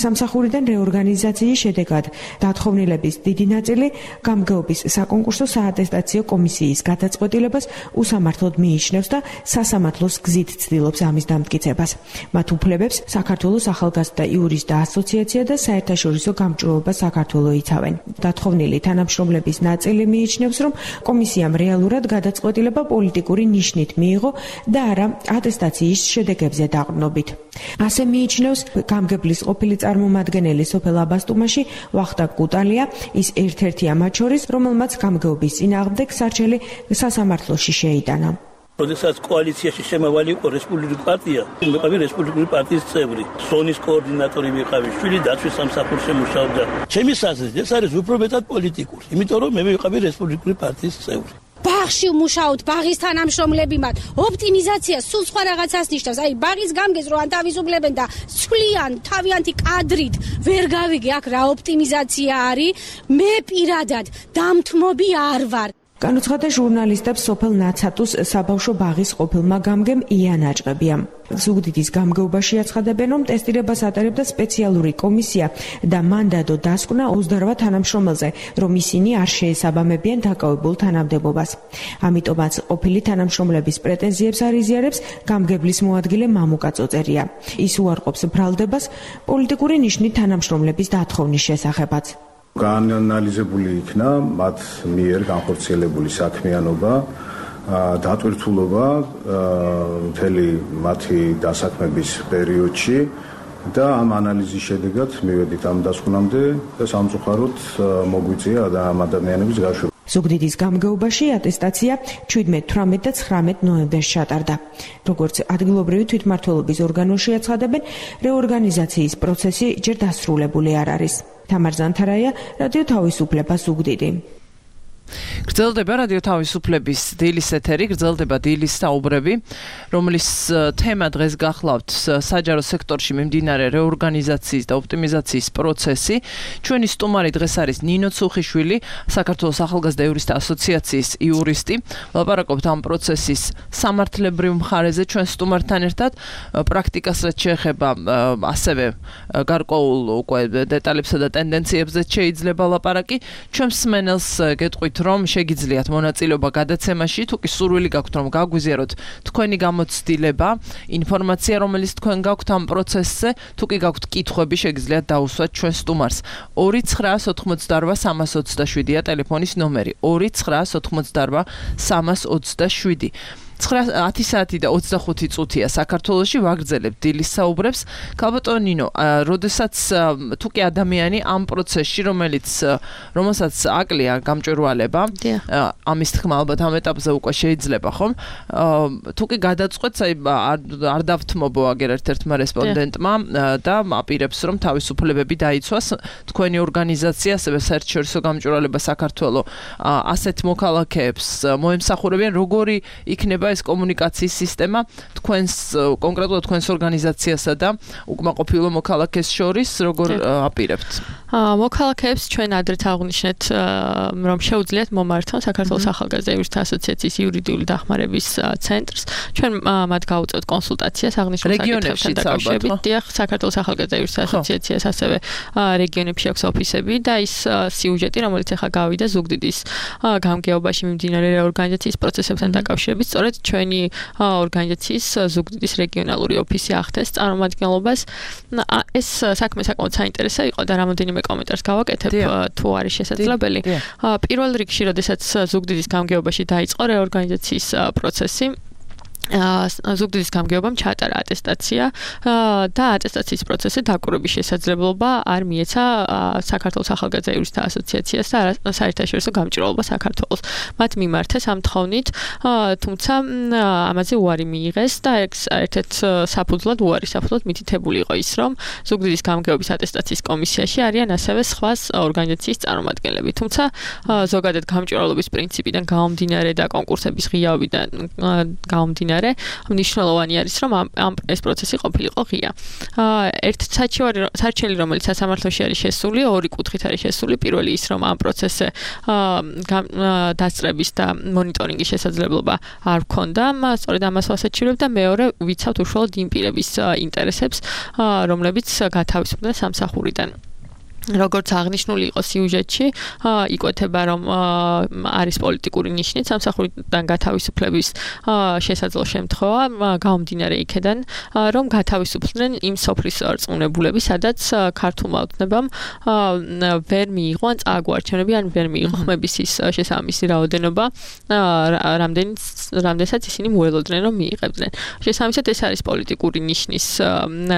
სამსახურიდან რეორგანიზაციის შედეგად დათხოვნილების დიდი ნაწილი გამგეობის საკონკურსო საატესტაციო კომისიის გადაწყვეტილებას უსამართლოდ მიიჩნევს და სასამართლოს გზით ცდილობს ამის დამტკიცებას. მათ საქართველოს ახალგაზრდა იურისტთა ასოციაცია და საერთაშორისო გამჭვირვალობა საქართველო იცავენ. დათხოვნილი თანამშრომლების ნაწილი მიიჩნევს, რომ კომისიამ რეალურად გადაწყვეტილება პოლიტიკური ნიშნით მიიღო და არა ატესტაციის შედეგებზე დაყრდნობით. ასე მიიჩნევს გამგებლის ყოფილი წარმომადგენელი სოფელ აბასტუმაში ვახტანგ კუტალია, ის ერთ-ერთია მათ შორის, რომელმაც გამგეობის წინააღმდეგ სარჩელი სასამართლოში შეიტანა. როდესაც კოალიციაში შემავალი იყო რესპუბლიკური პარტია, მეყავი რესპუბლიკური პარტიის წევრი, ზონის კოორდინატორი ვიყავი, შვილი დაცვის სამსახურში მუშაობდა. ჩემი საზრით ეს არის უფრო მეტად პოლიტიკური, იმიტომ რომ მე ვიყავი რესპუბლიკური პარტიის წევრი. ბაღში მუშაობთ, ბაღის თანამშრომლები მათ ოპტიმიზაცია სულ სხვა რაღაცას ნიშნავს. აი ბაღის გამგეს რო ანთავისუფლებენ და ცვლიან თავიანთი კადრით, ვერ გავიგე აქ რა ოპტიმიზაცია არის. მე პირადად დამთმობი არ ვარ. განუცხადა ჟურნალისტებს სოფელ ნაცატუს საბავშვო ბაღის ყოფილმა გამგემ იან აჭყებიამ. ზუგდიდის გამგეობაში აცხადებენ, რომ ტესტირებას ატარებდა სპეციალური კომისია და მანდატო დასკვნა ოცდაოთხ თანამშრომელზე, რომ ისინი არ შეესაბამებიან დაკავებულ თანამდებობას. ამიტომაც ყოფილი თანამშრომლების პრეტენზიებს არ იზიარებს გამგებლის მოადგილე მამუკა წოწერია. ის უარყოფს ბრალდებას პოლიტიკური ნიშნით თანამშრომლების დათხოვნის შესახებაც. გაანალიზებული იქნა მათ მიერ განხორციელებული საქმიანობა, დატვირთულობა მთელი მათი დასაქმების პერიოდში და ამ ანალიზის შედეგად მივედით ამ დასკვნამდე და სამწუხაროდ მოგვიწია ამ ადამიანების გაშვება. ზუგდიდის გამგეობაში ატესტაცია შვიდმეტ, თვრამეტ და ცხრამეტ ნოემბერს ჩატარდა. როგორც ადგილობრივი თვითმმართველობის ორგანოში აცხადებენ, რეორგანიზაციის პროცესი ჯერ დასრულებული არ არის. თამარ ზანთარაია, რადიო თავისუფლება ზუგდიდი. გრძელდება რადიო თავისუფლების დილის ეთერი, გრძელდება დილის საუბრები, რომლის თემა დღეს გახლავთ საჯარო სექტორში მიმდინარე რეორგანიზაციის და ოპტიმიზაციის პროცესი. ჩვენი სტუმარი დღეს არის ნინო ცუხიშვილი, საქართველოს ახალგაზრდა იურისტთა ასოციაციის იურისტი. ვლაპარაკობთ ამ პროცესის სამართლებრივ მხარეზე ჩვენ სტუმართან ერთად, პრაქტიკას რაც შეეხება ასევე გარკვეულ უკვე დეტალებსა და ტენდენციებზე შეიძლება ლაპარაკი. ჩვენ მსმენელს გეტყვით, რომ შეგიძლიათ მონაწილეობა გადაცემაში, თუ კი სურვილი გაქვთ, რომ გაგვიზიაროთ თქვენი გამოცდილება, ინფორმაცია, რომელიც თქვენ გაქვთ ამ პროცესზე, თუ კი გაქვთ კითხვები, შეგიძლიათ დაუსვათ ჩვენ სტუმარს. ორი ცხრაას ოთხმოცდაორვა სამას ოცდაშვიდია ტელეფონის ნომერი. ორი ცხრაას ოთხმოცდაორვა სამას ოცდაშვიდი. ათი საათი და ოცდახუთი წუთია საქართველოში, ვაგრძელებთ დილის საუბრებს. ქალბატონო ნინო, როდესაც თუ კი ადამიანი ამ პროცესში, რომელიც რომელსაც აკლია გამჭვირვალება, ამის თქმა ალბათ ამ ეტაპზე უკვე შეიძლება, ხომ? თუ კი გადაწყვეტს, აი არ დავთმობო აგერ ერთ-ერთმა რესპონდენტმა და აპირებს, რომ თავისუფლებები დაიცვას, თქვენი ორგანიზაცია, ასევე საერთაშორისო გამჭვირვალება საქართველოს ასეთ მოქალაქეებს მოემსახურებიან, როგორი იქნება ეს კომუნიკაციის სისტემა თქვენს კონკრეტულად თქვენს ორგანიზაციასა და უკმაყოფილო მოქალაქეს შორის როგორ აპირებთ? მოქალაქეებს ჩვენ ადრეთ აღვნიშნეთ, რომ შეუძლიათ მომართონ საქართველოს ახალგაზრდა იურისტთა ასოციაციის იურიდიული დახმარების ცენტრს. ჩვენ მათ გავუწევთ კონსულტაციას აღნიშნულ საკითხებთან დაკავშირებით. დიახ, საქართველოს ახალგაზრდა იურისტთა ასოციაციას ასევე რეგიონებში აქვს ოფისები და ის სიუჟეტი, რომელიც ახლა გავიდა ზუგდიდის გამგეობაში მიმდინარე რეორგანიზაციის პროცესებთან დაკავშირებით, სწორედ ჩვენი ორგანიზაციის ზუგდიდის რეგიონალური ოფისი ახდენს წარმომადგენლობას. ეს საქმე საკმაოდ საინტერესო იყო და რამოდენიმე კომენტარს გავაკეთებ, თუ არის შესაძლებელი. პირველ რიგში, როდესაც ზუგდიდის გამგეობაში დაიწყო რეორგანიზაციის პროცესი, ზუგდიდის გამგეობამ ჩაატარა ატესტაცია და ატესტაციის პროცესზე დაკვირვების შესაძლებლობა არ მიეცა საქართველოს ახალგაზრდა იურისტთა ასოციაციას და საერთაშორისო გამჭვირვალობა საქართველოს. მათ მიმართეს ამ თხოვნით, თუმცა ამაზე უარი მიიღეს და ერთ-ერთ საფუძვლად, უარი საფუძვლად მითითებული იყო ის, რომ ზუგდიდის გამგეობის ატესტაციის კომისიაში არიან ასევე სხვა ორგანიზაციის წარმომადგენლები. თუმცა ზოგადად გამჭვირვალობის პრინციპიდან გამომდინარე და კონკურსების ღიაობიდან გამომდინარე მნიშვნელოვანი არის, რომ ამ ეს პროცესი ყოფილიყო ღია. ერთ საჩივარი რომელიც სასამართლოში არის შესული, ორი კუთხით არის შესული. პირველი ის, რომ ამ პროცესზე დასწრების და მონიტორინგის შესაძლებლობა არ ჰქონდა, სწორედ ამას ვასაჩივრებ და მეორე ვიცავთ უშუალოდ იმ პირების ინტერესებს, რომლებიც გათავისუფლდნენ სამსახურიდან. როგორც აღნიშნული იყო სიუჟეტში, იკვეთება, რომ არის პოლიტიკური ნიშნით სამსახურიდან გათავისუფლების შესაძლო შემთხვევა, გამომდინარე იქედან, რომ გათავისუფლდნენ იმ სოფლის რწმუნებულები, სადაც ქართულმა ოცნებამ ვერ მიიღო ან წააგუარჩენები, ან ვერ მიიღო ხმების ის შესაბამისი რაოდენობა, რამდენსაც ისინი მოელოდნენ, რომ მიიღებდნენ. შესაბამისად, ეს არის პოლიტიკური ნიშნის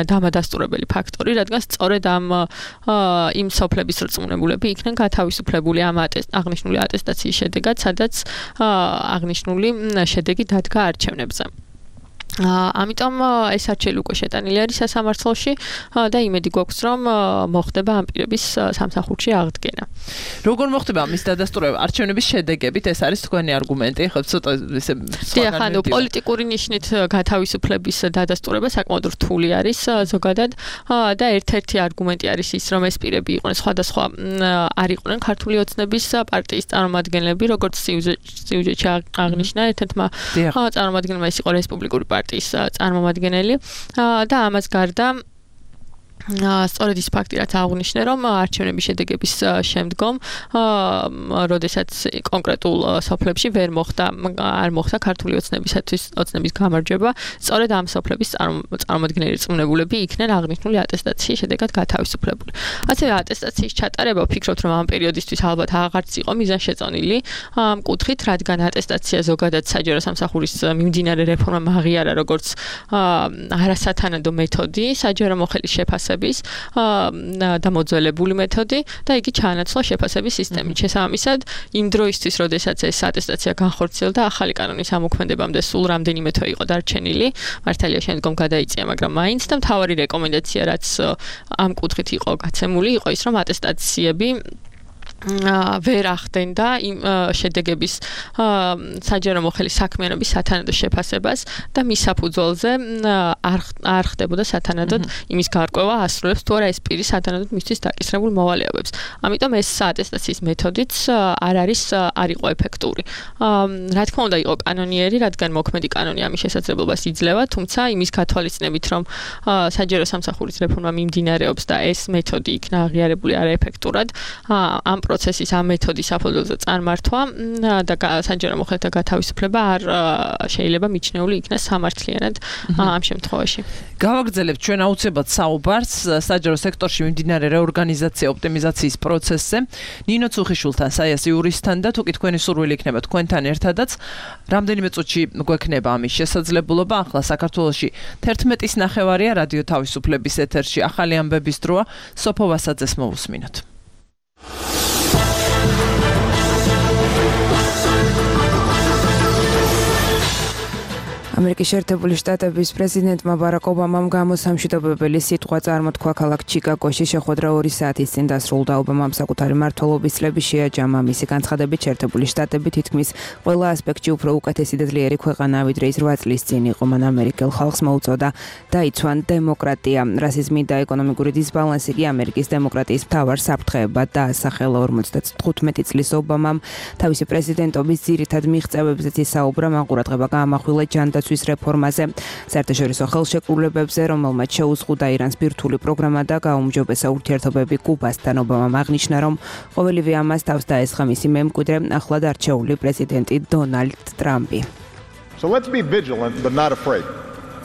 დამადასტურებელი ფაქტორი, რადგან სწორედ ამ იმ სოფლების რწმუნებულები იქნენ გათავისუფლებული ამ აღნიშნული ატესტაციის შედეგად, სადაც აღნიშნული შედეგი დადგა არჩევნებზე. ამიტომ ეს არჩეული უკვე შეტანილი არის სასამართლოში და იმედი გვაქვს, რომ მოხდება ამ პირების სამსახურში აღდგენა. როგორ მოხდება ამის დადასტურება? არჩევნების შედეგებით, ეს არის თქვენი არგუმენტი, ხო ცოტა ესე სხვა ანუ პოლიტიკური ნიშნით გათავისუფლების დადასტურება საკმაოდ რთული არის ზოგადად და ერთ-ერთი არგუმენტი არის ის, რომ ეს პირები იყვნენ სხვადასხვა არ იყვნენ ქართული ოცნების პარტიის წარმომადგენლები, როგორც სიუჟეტში აღნიშნა, ერთ-ერთმა წარმომადგენელმა ის იყო რესპუბლიკური პარტიის წარმომადგენელი და ამას გარდა სწორედ ის ფაქტი, რაც აღნიშნე, რომ არჩევნების შედეგების შემდგომ, როდესაც კონკრეტულ სოფლებში ვერ მოხდა, არ მოხდა ქართული ოცნებისათვის ოცნების გამარჯვება, სწორედ ამ სოფლების წარმომადგენელი რწმუნებულები იქნენ აღნიშნული ატესტაციის შედეგად გათავისუფლებული. ასევე ატესტაციის ჩატარება, ვფიქრობთ, რომ ამ პერიოდისთვის ალბათ აღარც იყო მიზანშეწონილი ამ კუთხით, რადგან ატესტაცია ზოგადად საჯარო სამსახურის მიმდინარე რეფორმამ აღიარა როგორც არასათანადო მეთოდი, საჯარო მოხელის შეფასება და მოძველებული მეთოდი და იგი ჩაანაცვლა შეფასების სისტემით. შესაბამისად, იმ დროისთვის, როდესაც ეს ატესტაცია განხორციელდა, ახალი კანონის ამოქმედებამდე სულ რამდენიმე თვე იყო დარჩენილი, მართალია შემდგომ გადაიწია, მაგრამ მაინც და მთავარი რეკომენდაცია, რაც ამ კუთხით იყო გაცემული, იყო ის, რომ ატესტაციები ვერ ახდენდა იმ შედეგების საჯარო მოხელის საქმიანობის სათანადო შეფასებას და მის საფუძველზე არ ხდებოდა სათანადოდ იმის გარკვევა ასრულებს თუ არა ეს პირი სათანადოდ მისთვის დაკისრებულ მოვალეობებს. ამიტომ ეს ატესტაციის მეთოდიც არ არის არ იყო ეფექტური. რა თქმა უნდა იყო კანონიერი, რადგან მოქმედი კანონი ამის შესაძლებლობას იძლევა, თუმცა იმის გათვალისწინებით, რომ საჯარო სამსახურის რეფორმა მიმდინარეობს და ეს მეთოდი იქნა აღიარებული არაეფექტურად, ამ პროცესის ამ მეთოდის საფუძველზე წარმართვა და საჯარო მოხელეთა გათავისუფლება არ შეიძლება მიჩნეული იქნას სამართლიანად ამ შემთხვევაში. გავაგრძელებთ ჩვენ აუცილებლად საუბარს საჯარო სექტორში მიმდინარე რეორგანიზაცია ოპტიმიზაციის პროცესზე. ნინო ცუხიშვილთან, საიას იურისტთან და თუკი თქვენი სურვილი იქნება თქვენთან ერთადაც, რამდენიმე წუთში გვექნება ამის შესაძლებლობა. ახლა საქართველოში თერთმეტის ნახევარია რადიო თავისუფლების ეთერში ახალი ამბების დროა. სოფო ვასაძეს მოვუსმინოთ. ამერიკის შეერთებული შტატების პრეზიდენტმა ბარაკ ობამამ გამოსამშვიდობებელი სიტყვა წარმოთქვა ქალაქ ჩიკაგოში შეხვედრა ორი საათის წინ დასრულდა. ობამამ საკუთარი მმართველობის წლები შეაჯამა. მისი განცხადებით შეერთებული შტატები თითქმის ყველა ასპექტში უფრო უკეთესი და ძლიერი ქვეყანაა, ვიდრე ის რვა წლის წინ იყო. მან ამერიკელ ხალხს მოუწოდა დაიცვან დემოკრატია. რასიზმი და ეკონომიკური დისბალანსი კი ამერიკის დემოკრატიის მთავარ საფრთხეებად დაასახელა. ორმოცდათხუთმეტი წლის ობამამ თავისი პრეზიდენტობის ძირითად მიღწევებზეც ისაუბრა, მან ყურადღება გაამახვილა ჯანდაცვის რეფორმაზე, საერთაშორისო ხელშეკრულებებზე, რომელმაც შეუზღუდა ირანს ბირთვული პროგრამა და გაუმჯობესა ურთიერთობები კუბასთან. ობამამ აღნიშნა, რომ ყოველივე ამას თავს დაესხა მისი მემკვიდრე, ახლად არჩეული პრეზიდენტი დონალდ ტრამპი. So let's be vigilant but not afraid.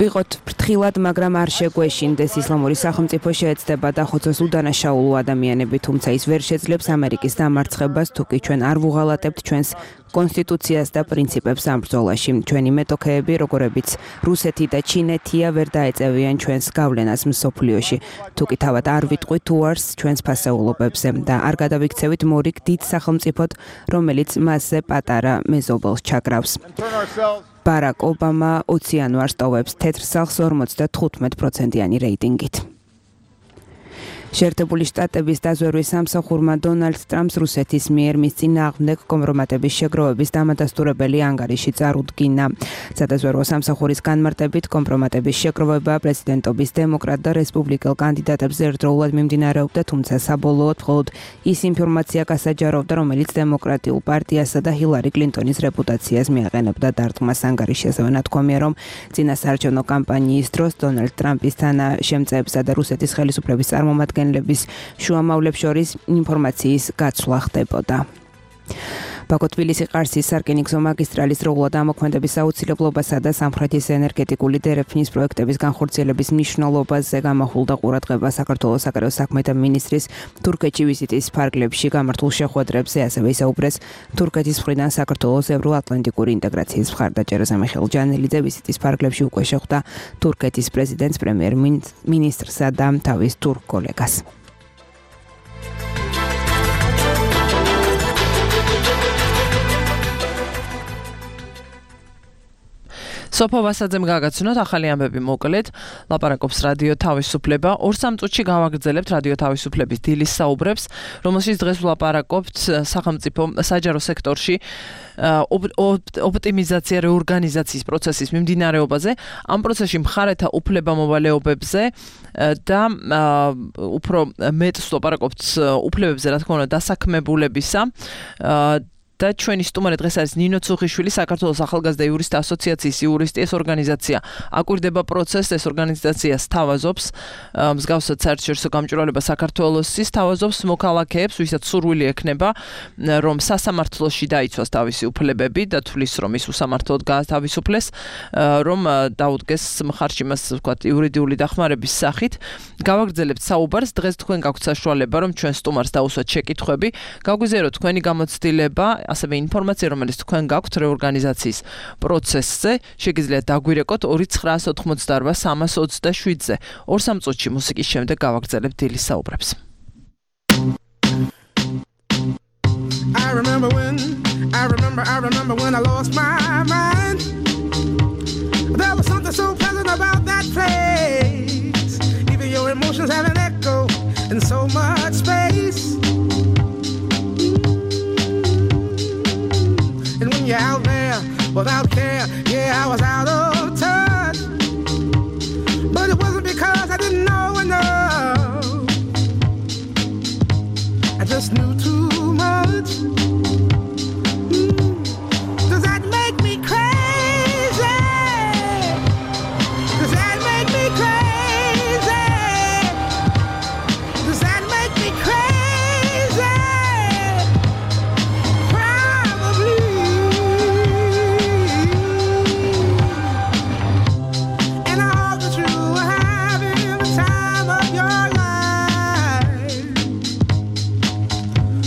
ვიყოთ ფრთხილად, მაგრამ არ შეგვეშინდეს. ისლამური სახელმწიფო შეეცდება დახოცოს უდანაშაულო ადამიანები, თუმცა ის ვერ შეძლებს ამერიკის დამარცხებას, თუკი ჩვენ არ ვუღალატებთ ჩვენს კონსტიტუციას და პრინციპებს ამ ბრძოლაში. ჩვენი მეტოქეები, როგორებიც რუსეთი და ჩინეთია, ვერ დაეწევიან ჩვენს გავლენას მსოფლიოში. თუკი თავად არ ვიტყვით უარს ჩვენს ფასეულობებზე და არ გადავიქცევით მორიგ დიდ სახელმწიფოდ, რომელიც მასზე პატარა მეზობელს ჩაკრავს. ბარაკ ობამა ოცი იანვარს ტოვებს თეთრ სახლს ორმოცდათხუთმეტ პროცენტიანი რეიტინგით. შეერთებული შტატების დაზვერვის სამსახურმა დონალდ ტრამპს რუსეთის მიერ მის წინააღმდეგ კომპრომატების შეგროვების დამადასტურებელი ანგარიში წარუდგინა. სადაზვერვო სამსახურის განმარტებით კომპრომატების შეგროვება პრეზიდენტობის დემოკრატ და რესპუბლიკელ კანდიდატებს ერთდროულად მიმდინარეობდა, თუმცა საბოლოოდ მხოლოდ ის ინფორმაცია გასაჯაროვდა, რომელიც დემოკრატიულ პარტიასა და ჰილარი კლინტონის რეპუტაციას მიაყენებდა დარტყმას. ანგარიში ასევე ნათქვამია, რომ წინასაარჩევნო კამპანიის დროს დონალდ ტრამპის თანაშემწეებსა და რუსეთის ხელისუფლების წარმომადგენლებს შუამავლებს შორის ინფორმაციის გაცვლა ხდებოდა. ბაქო-თბილისი-ყარსის სარკინიგზო მაგისტრალის დროულად ამოქმედების აუცილებლობასა და სამხრეთის ენერგეტიკული დერეფნის პროექტების განხორციელების მნიშვნელობაზე გამახვილდა ყურადღება საქართველოს საგარეო საქმეთა მინისტრის თურქეთში ვიზიტის ფარგლებში გამართულ შეხვედრებზე, ასევე ისაუბრეს თურქეთის მხრიდან საქართველოს ევროატლანტიკური ინტეგრაციის მხარდაჭერაზე. მიხეილ ჯანელიძე ვიზიტის ფარგლებში უკვე შეხვდა თურქეთის პრეზიდენტს, პრემიერ-მინისტრსა და თავის თურქ კოლეგას. სოფო ვასაძემ გაგაცნოთ ახალი ამბები მოკლედ. ლაპარაკობს რადიო თავისუფლება. ორ სამ წუთში გავაგრძელებთ რადიო თავისუფლების დილის საუბრებს, რომელშიც დღეს ვლაპარაკობთ სახელმწიფო საჯარო სექტორში ოპტიმიზაცია რეორგანიზაციის პროცესის მიმდინარეობაზე, ამ პროცესში მხარეთა უფლებამოვალეობებზე და უფრო მეტს ვლაპარაკობთ უფლებებზე, რა თქმა უნდა, დასაქმებულებისა. და ჩვენი სტუმარი დღეს არის ნინო ცუხიშვილი, საქართველოს ახალგაზრდა იურისტთა ასოციაციის იურისტი. ეს ორგანიზაცია აკვირდება პროცესს, ეს ორგანიზაცია სთავაზობს მსგავსად საერთაშორისო გამჭვირვალება საქართველოსის სთავაზობს მოქალაქეებს, ვისაც სურვილი ექნება, რომ სასამართლოში დაიცვას თავისი უფლებები და თulis რომ ის უსამართლოდ გაათავისუფლეს, რომ დაუდგეს მხარში მას, ვთქვათ, იურიდიული დახმარების სახით. გავაგრძელებთ საუბარს. დღეს თქვენ გაქვთ საშუალება, რომ ჩვენ სტუმარს დაუსვათ შეკითხვები, გაგვიზიაროთ თქვენი გამოცდილება, ასევე ინფორმაცია, რომელიც თქვენ გაქვთ რეორგანიზაციის პროცესზე, შეგიძლიათ დაგვირეკოთ ორი ცხრაას ოთხმოცდაორბა სამას ოცდაშვიდზე. ორ სამ წუთში მუსიკის შემდეგ გავაგრძელებთ დილის საუბრებს. I remember when I remember I remember when I lost my mind. There was something so pleasant about that place. Even your emotions have an echo in so much space. without care. Yeah, I was out of touch, but it wasn't because I didn't know enough. I just knew too much. Mm. Does that make me crazy? Does that make me crazy? Does that make me crazy? Probably. And I hope that you are having the time of your life.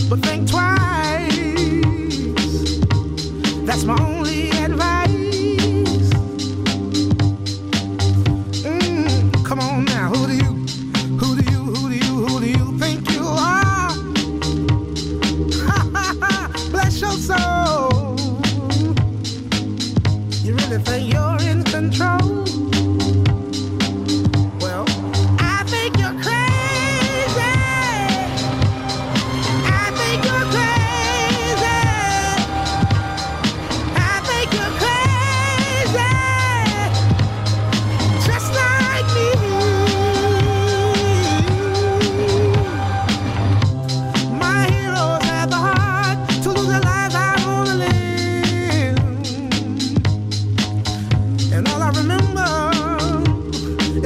But think twice. That's my only advice. Mm, come on now, who do you, who do you, who do you, who do you think you are? Bless your soul. You really think you're in control? Well, I think you're crazy. I think you're crazy. I think you're crazy. Just like me. My heroes had the heart to lose their lives. I wanna live. And all I remember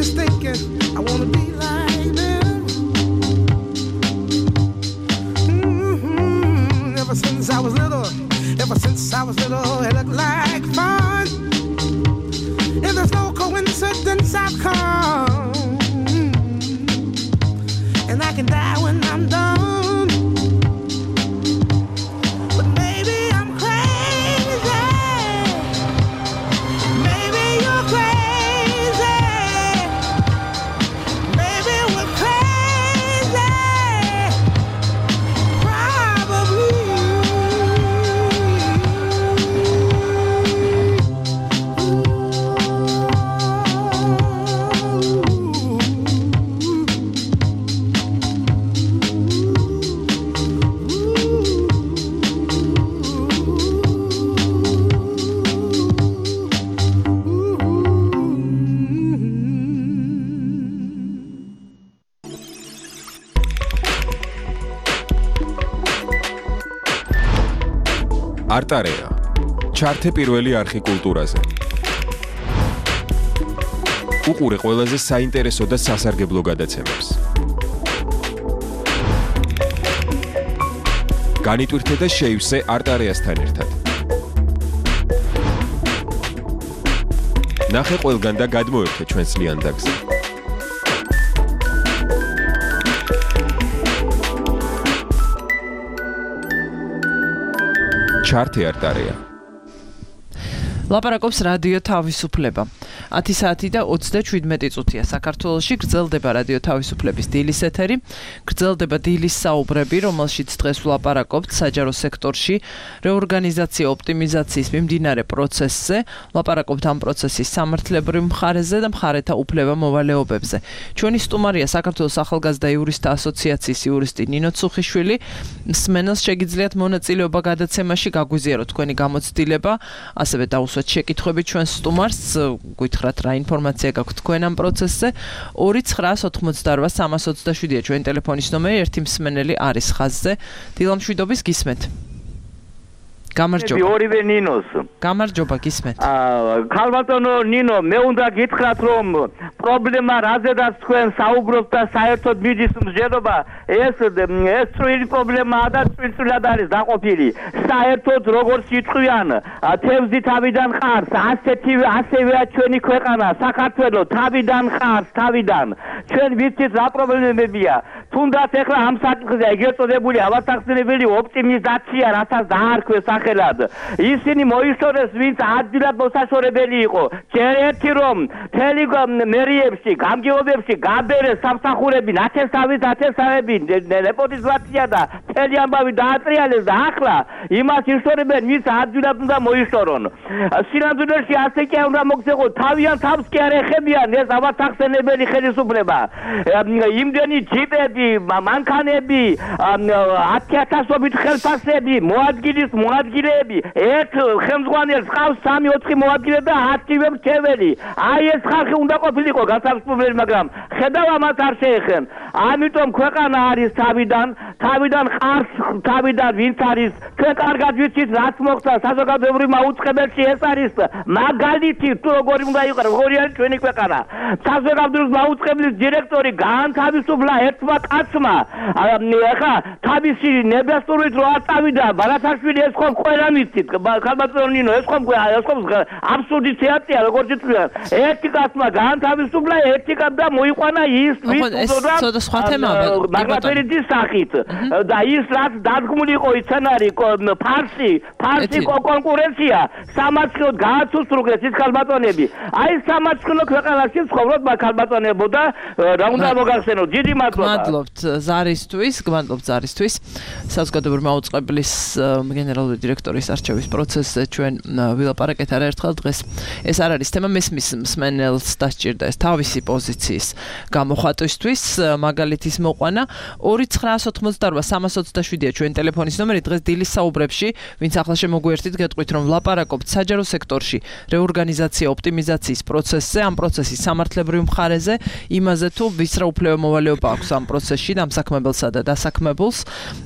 is thinking I wanna be like them. Mhm. Ever since I was little, ever since I was little, it looked like fun. And there's no coincidence I've come. And I can die when I'm done. But maybe I'm crazy. Maybe you're crazy. Maybe we're crazy. Probably. არტარეა ჩართე პირველი არხი კულტურაზე. უყურე ყველაზე საინტერესო და სასარგებლო გადაცემებს. განიტვირთე და შეივსე არტარეასთან ერთად. ნახე ყველგან და გადმოერთე ჩვენს ლიანდაგზე. ჩართე არტარეა. ლაპარაკობს რადიო თავისუფლება. ათი საათი და ოცდაშვიდმეტი წუთია საქართველოში გრძელდება რადიო თავისუფლების დილის ეთერი. გრძელდება დილის საუბრები, რომელშიც დღეს ვლაპარაკობთ საჯარო სექტორში რეორგანიზაცია ოპტიმიზაციის მიმდინარე პროცესზე. ვლაპარაკობთ ამ პროცესის სამართლებრივ მხარეზე და მხარეთა უფლება მოვალეობებზე. ჩვენი სტუმარია საქართველოს ახალგაზრდა იურისტთა ასოციაციის იურისტი ნინო ცუხიშვილი. მსმენელს შეგიძლიათ მონაწილეობა გადაცემაში, გაგვიზიაროთ თქვენი გამოცდილება, ასევე დაუსვათ შეკითხვები ჩვენს სტუმარს. გითხრათ რა ინფორმაცია გაქვთ თქვენ ამ პროცესზე. ორი ცხრა ოთხმოცდაოთხ სამას ოცდაშვიდია ჩვენი ტელეფონის ნომერი, ერთი მსმენელი არის ხაზზე. დილამშვიდობის გისმენთ. გამარჯობა. ორივე ნინოს. გამარჯობა გისმენთ. აა ქალბატონო ნინო, მე უნდა გითხრათ რომ პრობლემა რაზედაც თქვენ საუბრობთ და საერთოდ მიდის მსჯელობა, ეს ეს წვრილი პრობლემაა და წვრილად არის დაყოფილი. საერთოდ როგორც იტყვიან, თევზი თავიდან ხარს, ასეთი ასევეა ჩვენი ქვეყანა, საქართველო თავიდან ხარს, თავიდან. ჩვენ ვიცით რა პრობლემებია. თუნდაც ეხლა ამ საკითხზე ეგრეთ წოდებული ავასახსენებელი ოპტიმიზაცია, რასაც დაარქვეს სახელად. ისინი მოიხსენეს, ვინც ადგილად მოსაშორებელი იყო. ჯერერთი რომ თელი მერიებში, გამგეობებში გაბერეს სამსახურები, ნათესავით ათესავები, ნეპოტიზმაცია და მთელი ამბავი დაატრიალეს და ახლა იმას იშორებენ, ვის ადვილად უნდა მოიშორონ. სინამდვილეში ასე კი არ უნდა მოგცეხოთ, თავიანთ თავს კი არ ეხებიან ეს ავათახსენებელი ხელისუფლება. იმდენი ჯიპები, მანქანები, ათი ათასობით ხელფასები, მოადგილის მოადგილეები, ერთ ხელმძღვანელს ყავს სამი ოთხი მოადგილე და ათივე მრჩეველი. აი ეს ხალხი უნდა ყოფილიყო განსაკუთრებული, მაგრამ ხედავ ამას არ შეეხენ. ამიტომ ქვეყანა არის თავიდან, თავიდან ყარს, თავიდან ვინც არის, ჩვენ კარგად ვიცით რაც მოხდა საზოგადოებრივ მაუწყებელში, ეს არის მაგალითი თუ როგორი უნდა იყოს, როგორი არის ჩვენი ქვეყანა. საზოგადოებრივ მაუწყებლის დირექტორი გაანთავისუფლა ერთმა კაცმა. ახლა თავისი ნებასტურით რო არ წავიდა ბარათაშვილი, ეს ხომ ყველა მიცით, ხალბატონო ნინო, ეს ხომ ეს ხომ აბსურდი თეატრია, როგორც იტყვიან. ერთი კაცმა გაანთავისუფლა, ერთი კაცმა და მოიყვანა ის ვის უწოდა სხვა თემაა მაგალითის სახით და ის რაც დადგმული იყო სცენარი ფარსი ფარსი კონკურენცია სამართლოდ გააცუსრუგეს ის ხალბატონები. აი სამართლო ქვეყანაში ცხოვრობ ხალბატონებო და რა უნდა მოგახსენოთ. დიდი მადლობა. გმადლობთ ზარისთვის, გმადლობთ ზარისთვის. საზოგადოებრივი მაუწყებლის გენერალური დირექტორის არჩევის პროცესზე ჩვენ ვილაპარაკეთ არაერთხელ დღეს. ეს არ არის თემა, მესმის მსმენელს დასჭირდა ეს თავისი პოზიციის გამოხატვისთვის, მაგალითის მოყვანა. ორი ცხრაას ოცდაოთხი სამას ოცდაშვიდია ჩვენ ტელეფონის ნომერი. დღეს დილის საუბრებში, ვინც ახლა შემოგვიერთით, გეტყვით რომ ვლაპარაკობთ საჯარო სექტორში რეორგანიზაცია ოპტიმიზაციის პროცესზე, ამ პროცესის სამართლებრივ მხარეზე, იმაზე თუ ვის რა უფლება მოვალეობა აქვს ამ პროცესში დამსაქმებელსა და დასაქმებულს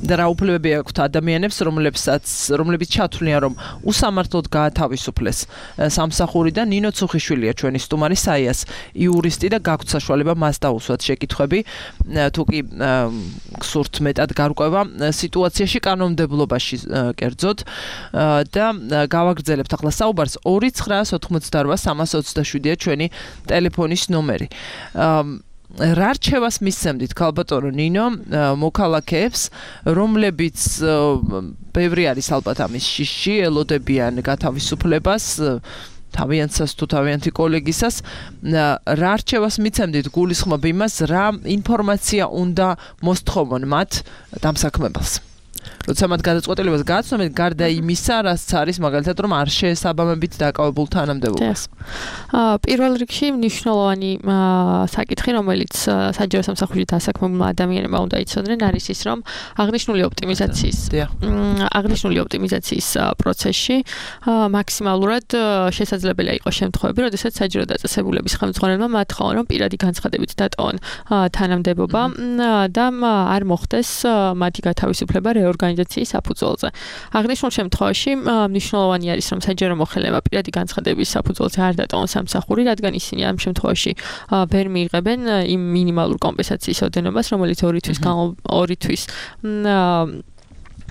და რა უფლებები აქვთ ადამიანებს, რომლებსაც რომლებიც ჩათვლიან რომ უსამართლოდ გაათავისუფლეს სამსახურიდან. ნინო ცუხიშვილია ჩვენი სტუმარი, საიას იურისტი და გაქვთ საშუალება მას დაუსვათ შეკითხვები, თუ კი გსურთ მეტად გარკვევა სიტუაციაში კანონმდებლობაში კერძოდ და გავაგრძელებთ ახლა საუბარს. ორი ცხრაას ოცდაოთხი სამას ოცდაშვიდია ჩვენი ტელეფონის ნომერი. რა რჩევას მისცემდით ქალბატონო ნინო მოქალაქეებს, რომლებიც ბევრი არის ალბათ ამის შიში, ელოდებიან გათავისუფლებას, თავიანთსას თუ თავიანთი კოლეგისას, რა რჩევას მიცემდით გულისხმობ იმას, რა ინფორმაცია უნდა მოსთხოვონ მათ დამსაქმებელს? როცა მათ გადაწყვეტილებას გააცნობენ, გარდა იმისა, რაც არის მაგალითად რომ არ შეესაბამებით დაკავებულ თანამდებობას. პირველ რიგში მნიშვნელოვანი საკითხი, რომელიც საჯარო სამსახურში დასაქმებულმა ადამიანებმა უნდა იცოდნენ, არის ის, რომ აღნიშნული ოპტიმიზაციის აღნიშნული ოპტიმიზაციის პროცესში მაქსიმალურად შესაძლებელია იყოს შემთხვევები, როდესაც საჯარო დაწესებულების ხელმძღვანელმა მათხოვონ, რომ პირადი განცხადებით დატოვონ თანამდებობა და არ მოხდეს მათი გათავისუფლება რეორგანიზაციის საფუძველზე. აღნიშნულ შემთხვევაში მნიშვნელოვანი არის, რომ საჯარო მოხელემა პირადი განცხადების საფუძველზე არ დატოვონ სამსახური, რადგან ისინი ამ შემთხვევაში ვერ მიიღებენ იმ მინიმალურ კომპენსაციის ოდენობას, რომელიც ორი თვის ორი თვის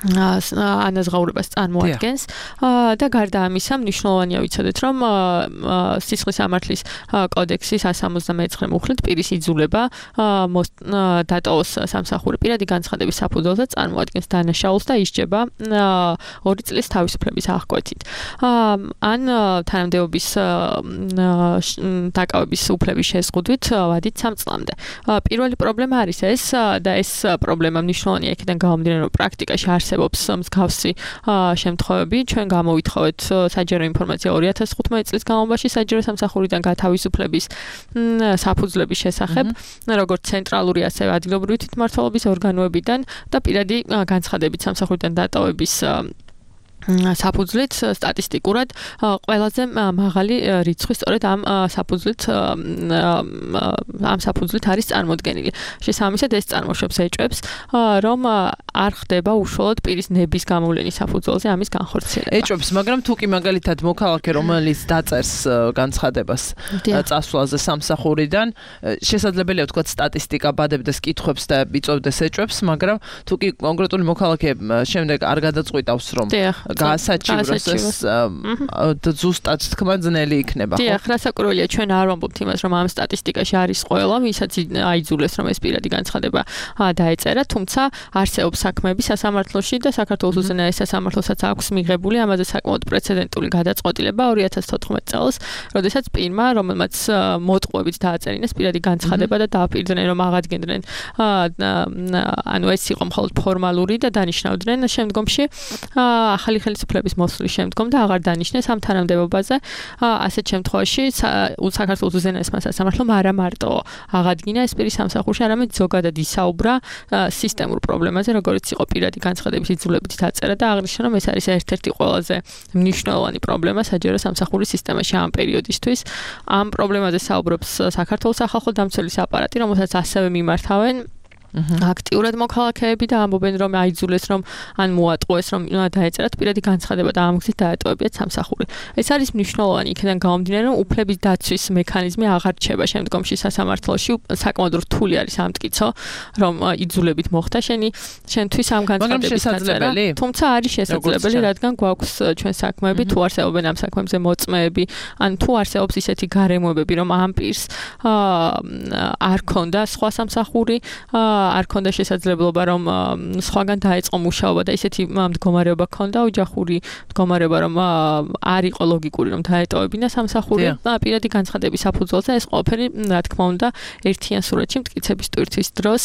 ანაზღაურებას წარმოადგენს და გარდა ამისა მნიშვნელოვანია ვიცოდეთ, რომ სისხლის სამართლის კოდექსის one seventy-nine მუხლით პირის იძულება დატოვოს სამსახური პირადი განცხადების საფუძველზე წარმოადგენს დანაშაულს და ისჯება ორი წლის თავისუფლების აღკვეთით. ან თანამდებობის დაკავების უფლების შეზღუდვით ვადით სამ წლამდე. პირველი პრობლემა არის ეს და ეს პრობლემა მნიშვნელოვანია იქიდან გამომდინარე, რომ პრაქტიკაში არსებობს მსგავსი შემთხვევები. ჩვენ გამოვითხოვეთ საჯარო ინფორმაცია ორი ათას თხუთმეტი წლის განმავლობაში საჯარო სამსახურიდან გათავისუფლების საფუძვლების შესახებ, როგორც ცენტრალური, ასევე ადგილობრივი თვითმმართველობის ორგანოებიდან და პირადი განცხადებით სამსახურიდან დატოვების საფუძვლით სტატისტიკურად ყველაზე მაღალი რიცხვი სწორედ ამ საფუძვლით ამ საფუძვლით არის წარმოდგენილი. შესაბამისად ეს წარმოშობს ეჭვებს, რომ არ ხდება უშუალოდ პირის ნების გამოვლენის საფუძველზე ამის განხორციელება. ეჭვებს, მაგრამ თუ კი მაგალითად მოქალაქე, რომელიც დაწერს განცხადებას წასვლაზე სამსახურიდან, შესაძლებელია ვთქვათ სტატისტიკა ბადებდეს კითხვებს და იწვევდეს ეჭვებს, მაგრამ თუ კი კონკრეტული მოქალაქე შემდეგ არ გადაწყვიტავს, რომ გაასაჩივროს ეს ზუსტად თქმა ძნელი იქნება, ხო? დიახ, რასაკვირველია, ჩვენ არ ვამბობთ იმას, რომ ამ სტატისტიკაში არის ყველა, ვისაც აიძულეს, რომ ეს პირადი განცხადება დაეწერა, თუმცა არსებობს საქმეები სასამართლოში და საქართველოს უზენაეს სასამართლოსაც აქვს მიღებული ამაზე საკმაოდ პრეცედენტული გადაწყვეტილება ორი ათას თოთხმეტ წელს, როდესაც პირმა, რომელმაც მოტყუებით დააწერინეს პირადი განცხადება და დააპირდნენ, რომ აღადგენდნენ, ანუ ეს იყო მხოლოდ ფორმალური და დანიშნავდნენ შემდგომში ახალი ხელისუფლების მოსვლის შემდგომ და აღარ დანიშნეს ამ თანამდებობაზე. ასეთ შემთხვევაში საქართველოს უზენაესმა სასამართლომ არა მარტო აღადგინა ეს პირის სამსახურში, არამედ ზოგადად ისაუბრა სისტემურ პრობლემაზე, როგორც იყო პირადი განცხადების იძულებით დაწერა და აღნიშნა, რომ ეს არის ერთ-ერთი ყველაზე მნიშვნელოვანი პრობლემა საჯარო სამსახურის სისტემაში ამ პერიოდისთვის. ამ პრობლემაზე საუბრობს საქართველოს სახალხო დამცველის აპარატი, რომელსაც ასევე მიმართავენ აქტიურად მოქალაქეები და ამბობენ, რომ აიძულეს, რომ ან მოატყუეს, რომ დაეწერათ პირადი განცხადება და ამ გზით დაეტოვებიათ სამსახური. ეს არის მნიშვნელოვანი, იქიდან გამომდინარე, რომ უფლების დაცვის მექანიზმი აღარ რჩება შემდგომში სასამართლოში, საკმაოდ რთული არის ამტკიცო, რომ იძულებით მოხდა შენი შენთვის ამ განცხადების დაწერა. თუმცა არის შესაძლებელი, რადგან გვაქვს ჩვენ საქმეები, თუ არსებობენ ამ საქმეებზე მოწმეები, ან თუ არსებობს ისეთი გარემოებები, რომ ამ პირს არ ქონდა სხვა სამსახური, არ ქონდა შესაძლებლობა, რომ სხვაგან დაეწყო მუშაობა და ისეთი მდგომარეობა ქონდა, ოჯახური მდგომარეობა, რომ არ იყო ლოგიკური, რომ დაეტოვებინა სამსახური პირადი განცხადების საფუძველზე, ეს ყველაფერი, რა თქმა უნდა, ერთიან სურათში მტკიცების ტვირთვის დროს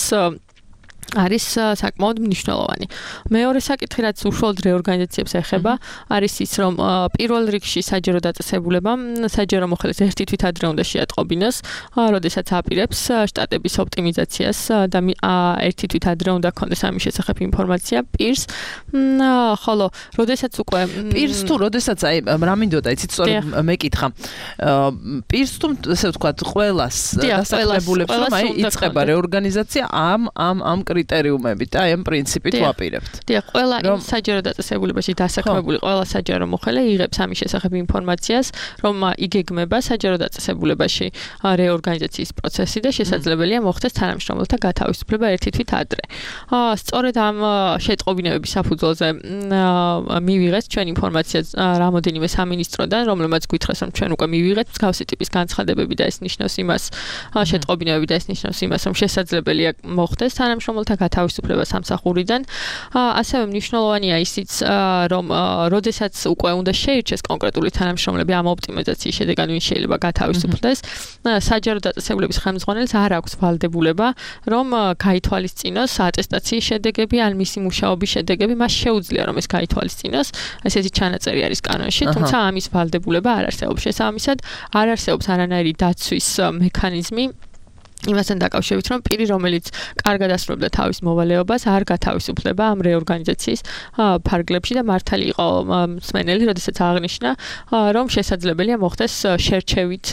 არის საკმაოდ მნიშვნელოვანი. მეორე საკითხი, რაც უშუალოდ რეორგანიზაციებს ეხება, არის ის, რომ პირველ რიგში საჯარო დაწესებულებამ საჯარო მოხელეს ერთი თვით ადრე უნდა შეატყობინოს, როდესაც აპირებს შტატების ოპტიმიზაციას და ერთი თვით ადრე უნდა ქონდეს ამის შესახებ ინფორმაცია პირს, ხოლო როდესაც უკვე პირს თუ როდესაც აი რა მინდოდა, იცით, სწორედ მეკითხა. პირს თუ ესე ვთქვათ, ყველას დასახლებულებს, რომ აი იწყება რეორგანიზაცია ამ ამ ამ კრიტერიუმებით და აი ამ პრინციპით ვაპირებთ. დიახ, ყველა იმ საჯარო დაწესებულებაში დასაქმებული ყველა საჯარო მოხელე იღებს ამის შესახებ ინფორმაციას, რომ იგეგმება საჯარო დაწესებულებაში რეორგანიზაციის პროცესი და შესაძლებელია მოხდეს თანამშრომელთა გათავისუფლება ერთი თვით ადრე. სწორედ ამ შეტყობინებების საფუძველზე მივიღეთ ჩვენ ინფორმაცია რამოდენიმე სამინისტროდან, რომელმაც გითხრეს, რომ ჩვენ უკვე მივიღეთ მსგავსი ტიპის განცხადებები და ეს ნიშნავს იმას, შეტყობინებები და ეს ნიშნავს იმას, რომ შესაძლებელია მოხდეს თანამშრომელთა გათავისუფლება სამსახურიდან. ასევე მნიშვნელოვანია ისიც, რომ როდესაც უკვე უნდა შეირჩეს კონკრეტული თანამშრომლები ამ ოპტიმიზაციის შედეგად ვინ შეიძლება გათავისუფლდეს, საჯარო დაწესებულების ხელმძღვანელს არ აქვს ვალდებულება, რომ გაითვალისწინოს ატესტაციის შედეგები ან მისი მუშაობის შედეგები, მას შეუძლია რომ ეს გაითვალისწინოს, ესეთი ჩანაწერი არის კანონში, თუმცა ამის ვალდებულება არ არსებობს. შესაბამისად, არ არსებობს არანაირი დაცვის მექანიზმი იმასთან დაკავშირებით, რომ პირი, რომელიც კარგად ასრულებდა თავის მოვალეობას, არ გათავისუფლდება ამ რეორგანიზაციის ფარგლებში და მართალი იყო მსმენელი, როდესაც აღნიშნა, რომ შესაძლებელია მოხდეს შერჩევით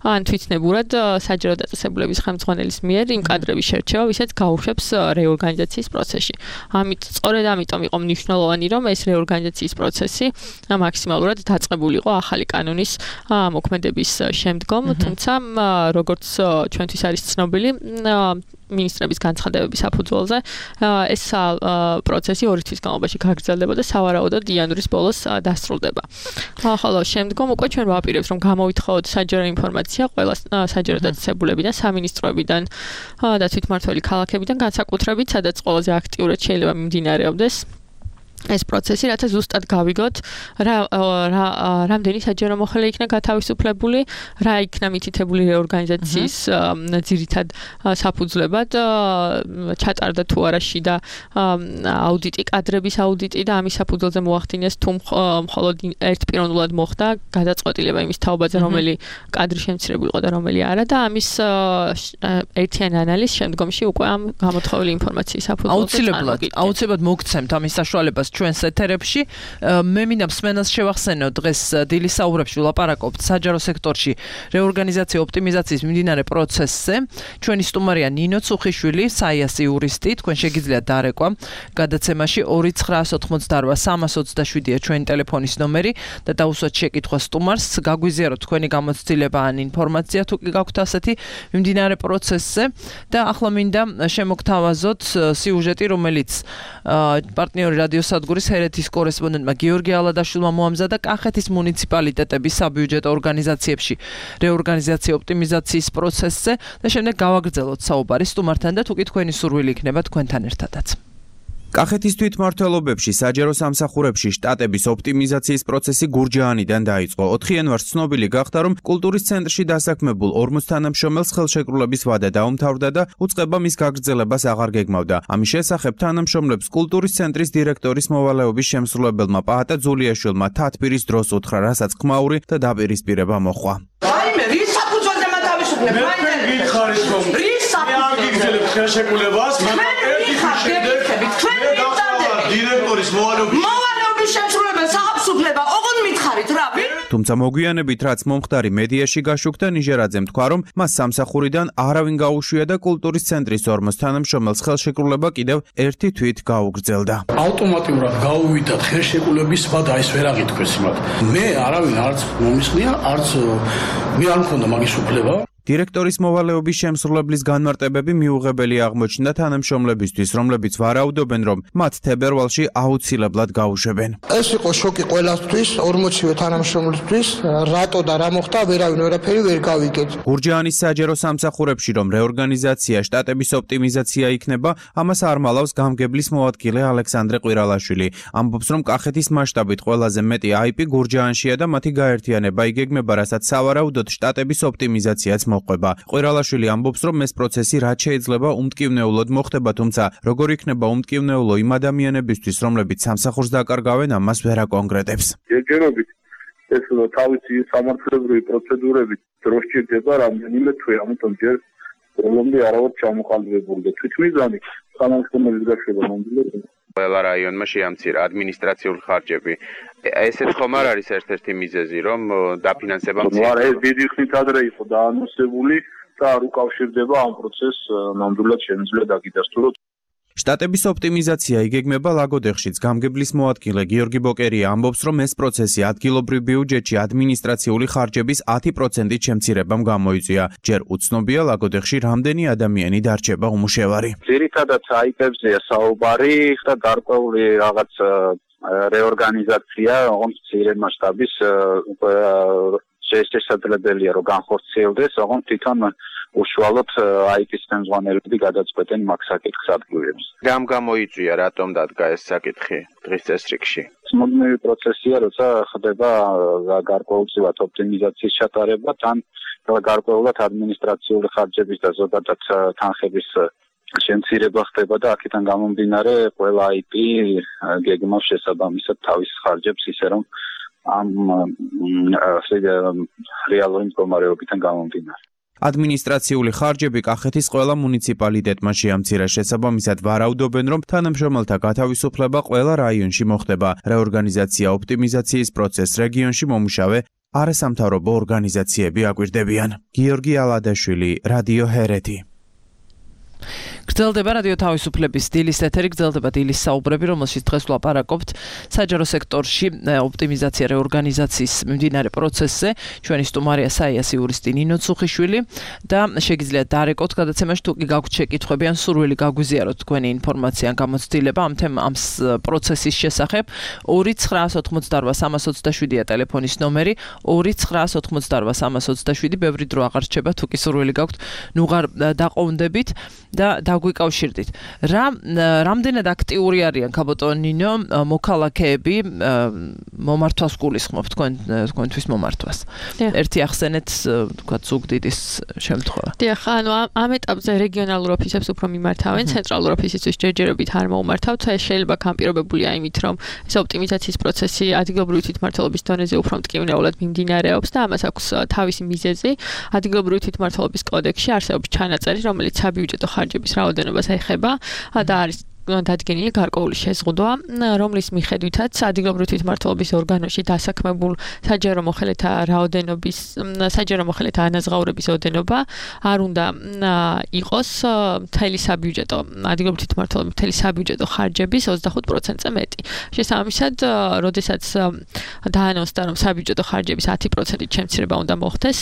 ან თვითნებურად საჯარო დაწესებულების ხელმძღვანელის მიერ იმ კადრების შერჩევა, ვისაც გაუშვებს რეორგანიზაციის პროცესში. ამით სწორედ ამიტომ იყო მნიშვნელოვანი, რომ ეს რეორგანიზაციის პროცესი მაქსიმალურად დაწყებულიყო ახალი კანონის მოქმედების შემდგომ, თუმცა როგორც ჩვენთვის არის ცნობილი მინისტრების განცხადებების საფუძველზე ეს პროცესი ორი თვის განმავლობაში გაგრძელდება და სავარაუდოდ იანვრის ბოლოს დასრულდება. ხოლო შემდგომ უკვე ჩვენ ვაპირებთ, რომ გამოვითხოვოთ საჯარო ინფორმაცია ყველა საჯარო დაწესებულებიდან, სამინისტროებიდან და თვითმმართველი ქალაქებიდან, განსაკუთრებით, სადაც ყველაზე აქტიურად შეიძლება მიმდინარეობდეს ეს პროცესი, რათა ზუსტად გავიგოთ რა რამდენი საჯარო მოხელე იქნა გათავისუფლებული, რა იქნა მითითებული რეორგანიზაციის ძირითად საფუძვლებად, ჩატარდა თუ არა შიდა აუდიტი, კადრების აუდიტი და ამის საფუძველზე მოახდინეს თუ მხოლოდ ერთპიროვნულად მოხდა გადაწყვეტილება იმის თაობაზე, რომელი კადრი შემცირებული იყო და რომელი არა და ამის ერთიანი ანალიზ შემდგომში უკვე ამ გამოთხოვილი ინფორმაციის საფუძველზე აუცილებლად აუცილებლად მოგცემთ ამის საშუალებას ჩვენს ეთერებში. მე მინდა მსმენელს შევახსენო, დღეს დილის საუბრებში ვლაპარაკობთ საჯარო სექტორში რეორგანიზაცია ოპტიმიზაციის მიმდინარე პროცესზე. ჩვენი სტუმარია ნინო ცუხიშვილი, საიას იურისტი. თქვენ შეგიძლიათ დარეკვა გადაცემაში ორი ცხრაას ოთხმოცდაორვა სამას ოცდაშვიდია ჩვენი ტელეფონის ნომერი და დაუსვათ შეკითხვა სტუმარს, გაგვიზიაროთ თქვენი გამოცდილება ან ინფორმაცია თუ კი გაქვთ ასეთი მიმდინარე პროცესზე და ახლა მინდა შემოგთავაზოთ სიუჟეტი, რომელიც პარტნიორი რადიო სადგურის ჰერეთის კორესპონდენტმა გიორგი ალადაშვილმა მოამზადა კახეთის მუნიციპალიტეტების საბიუჯეტო ორგანიზაციებში რეორგანიზაცია ოპტიმიზაციის პროცესზე და შემდეგ გავაგრძელოთ საუბარი სტუმართან და თუკი თქვენი სურვილი იქნება თქვენთან ერთადაც. კახეთის თვითმმართველობებში საჯარო სამსახურებში შტატების ოპტიმიზაციის პროცესი გურჯაანიდან დაიწყო. ოთხ იანვარს ცნობილი გახდა, რომ კულტურის ცენტრში დასაქმებულ ორმოც თანამშრომელს ხელშეკრულების ვადა დაუმთავრდა და უწყება მის გაგრძელებას აღარ გეგმავდა. ამის შესახებ თანამშრომლებს კულტურის ცენტრის დირექტორის მოვალეობის შემსრულებელმა პაატა ძულიაშვილმა თათბირის დროს უთხრა, რასაც ხმაური და დაპირისპირება მოჰყვა. რაიმე რის საფუძველზე მათავისუფლებ? მე გითხარით რომ რის საფუძველზე ხელშეკრულებას დირექტორის მოვალეობის მოვალეობის შემსრულებელს აღაფსუფლება, ოღონდ მითხარით რა? თუმცა მოგვიანებით რაც მომხდარი მედიაში გაშუქდა, ნიჟერაძემ თქვა, რომ მას სამსახურიდან არავინ გაუშვია და კულტურის ცენტრის ორმოს თანამშრომელს ხელშეკრულება კიდევ ერთი თვით გაუგრძელდა. ავტომატურად გაუვიდათ ხელშეკრულების ვადა, ეს ვერ აღითქვეს იმათ. მე არავინ არც მომისხნია, არც მე არ მქონდა მაგის უფლება. დირექტორის მოვალეობის შემსრულებლის განმარტებები მიუღებელი აღმოჩნდა თანამშრომლებისთვის, რომლებიც ვარაუდობენ, რომ მათ თებერვალში აუცილებლად გაუშვებენ. ეს იყო შოკი ყველასთვის, ორმოცივე თანამშრომლისთვის, რატო და რა მოხდა, ვერავინ ვერაფერი ვერ გავიგეთ. გურჯაანის საჯარო სამსახურებში რომ რეორგანიზაცია, შტატების ოპტიმიზაცია იქნება, ამას არ მალავს გამგებლის მოადგილე ალექსანდრე ყვირალაშვილი. ამბობს, რომ კახეთის მასშტაბით ყველაზე მეტი აიპი გურჯაანშია და მათი გაერთიანება იგეგმება, რასაც სავარაუდოდ შტატების ოპტიმიზაციაც მოყვება. ყვირალაშვილი ამბობს, რომ ეს პროცესი რაც შეიძლება უმტკივნეულოდ მოხდება, თუმცა როგორ იქნება უმტკივნეულო იმ ადამიანებისთვის, რომლებიც სამსახურს დაკარგავენ, ამას ვერ აკონკრეტებს. ჯერჯერობით ეს თავისი სამართლებრივი პროცედურებით დრო სჭირდება რამდენიმე თვე, ამიტომ ჯერ პრობლემები არავად ჩამოყალიბებული და თვითმიზანი თანამშრომლების გაშვება მომდევნო ყველა რაიონმა შეამცირა ადმინისტრაციული ხარჯები. ესეც ხომ არ არის ერთ-ერთი მიზეზი, რომ დაფინანსება მცირდება? არა, ეს დიდი ხნით ადრე იყო დაანონსებული და არ უკავშირდება ამ პროცესს, ნამდვილად შემიძლია დაგიდასტუროთ. შტატების ოპტიმიზაცია იგეგმება ლაგოდეხშიც. გამგებლის მოადგილე გიორგი ბოკერია ამბობს, რომ ეს პროცესი ადგილობრივ ბიუჯეტში ადმინისტრაციული ხარჯების ათი პროცენტით შემცირებამ გამოიწვია. ჯერ უცნობია ლაგოდეხში რამდენი ადამიანი დარჩება უმუშევარი. ძირითადად აიპებზეა საუბარი და გარკვეული რაღაც რეორგანიზაცია, ოღონდ მცირე მასშტაბის შესაძლებელია რომ განხორციელდეს, ოღონდ თვითონ უშუალოდ აიპის ხელმძღვანელები გადაწყვეტენ მაგ საკითხს ადგილებს. რამ გამოიწვია, რატომ დადგა ეს საკითხი დღის წესრიგში? მუდმივი პროცესია, როცა ხდება გარკვეულწილად ოპტიმიზაციის ჩატარება, თან გარკვეულად ადმინისტრაციული ხარჯების და ზოგადად თანხების შემცირება ხდება და აქედან გამომდინარე ყველა აიპი გეგმავს შესაბამისად თავის ხარჯებს, ისე რომ ამ რეალური მდგომარეობიდან გამომდინარე. ადმინისტრაციული ხარჯები კახეთის ყველა მუნიციპალიტეტმა შეამცირა. შესაბამისად ვარაუდობენ, რომ თანამშრომელთა გათავისუფლება ყველა რაიონში მოხდება. რეორგანიზაცია, ოპტიმიზაციის პროცესს რეგიონში მომუშავე არასამთავრობო ორგანიზაციები აკვირდებიან. გიორგი ალადაშვილი, რადიო ჰერეთი. გრძელდება რადიო თავისუფლების დილის ეთერი, გრძელდება დილის საუბრები, რომელშიც დღეს ვლაპარაკობთ საჯარო სექტორში ოპტიმიზაცია რეორგანიზაციის მიმდინარე პროცესზე. ჩვენი სტუმარია საიას იურისტი ნინო ცუხიშვილი და შეგიძლიათ დარეკოთ გადაცემაში, თუ კი გაქვთ შეკითხვები ან სურვილი გაგვიზიაროთ თქვენი ინფორმაცია ან გამოცდილება ამ თემ ამ პროცესის შესახებ. ორი ცხრაას ოთხმოცდარვა სამას ოცდაშვიდია ტელეფონის ნომერი, ორი ცხრაას ოთხმოცდარვა სამას ოცდაშვიდი, ბევრი დრო აღარ რჩება, თუ კი სურვილი გაქვთ, ნუღარ დაყოვდებით და დაგვიკავშირდით. რა რამდენად აქტიური არიან ქაბოტონ ნინო მოქალაქეები მომართვას გულისხმობ თქვენ თქვენთვის მომართვას. ერთი ახსენეთ თქვა ზუგდიდის შემთხვევა. დიახ, ანუ ამ ეტაპზე რეგიონალურ ოფისებს უფრო მიმართავენ, ცენტრალურ ოფისისთვის ჯერჯერობით არ მოუმართავთ. ეს შეიძლება განპირობებულია იმით, რომ ეს ოპტიმიზაციის პროცესი ადგილობრივი თვითმმართველობის დონეზე უფრო მტკივნეულად მიმდინარეობს და ამას აქვს თავისი მიზეზი. ადგილობრივი თვითმმართველობის კოდექსში არსებობს ჩანაწერი, რომელიც საბიუჯეტო ხარჯების რაოდენობას ეხება და არის დადგენილი გარკვეული შეზღუდვა, რომლის მიხედვითაც ადგილობრივი თვითმმართველობის ორგანოში დასაქმებულ საჯარო მოხელეთა რაოდენობის საჯარო მოხელეთა ანაზღაურების ოდენობა არ უნდა იყოს მთელი საბიუჯეტო ადგილობრივი თვითმმართველობის მთელი საბიუჯეტო ხარჯების ოცდახუთ პროცენტზე მეტი. შესაბამისად, როდესაც დაანონსდა, რომ საბიუჯეტო ხარჯების ათი პროცენტით შემცირება უნდა მოხდეს,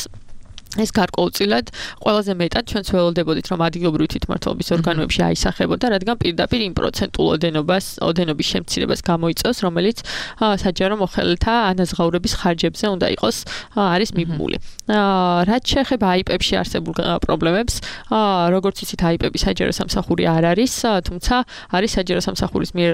ეს გარკვეულწილად ყველაზე მეტად ჩვენც ველოდებოდით რომ ადგილობრივი თვითმმართველობის ორგანოებში აისახებოდა, რადგან პირდაპირ იმ პროცენტულ ოდენობას, ოდენობის შემცირებას გამოიწვევს, რომელიც საჯარო მოხელეთა ანაზღაურების ხარჯებზე უნდა იყოს არის მიბმული. რაც შეეხება აიპებში არსებულ პრობლემებს, როგორც იცით, აიპები საჯარო სამსახური არ არის, თუმცა არის საჯარო სამსახურის მიერ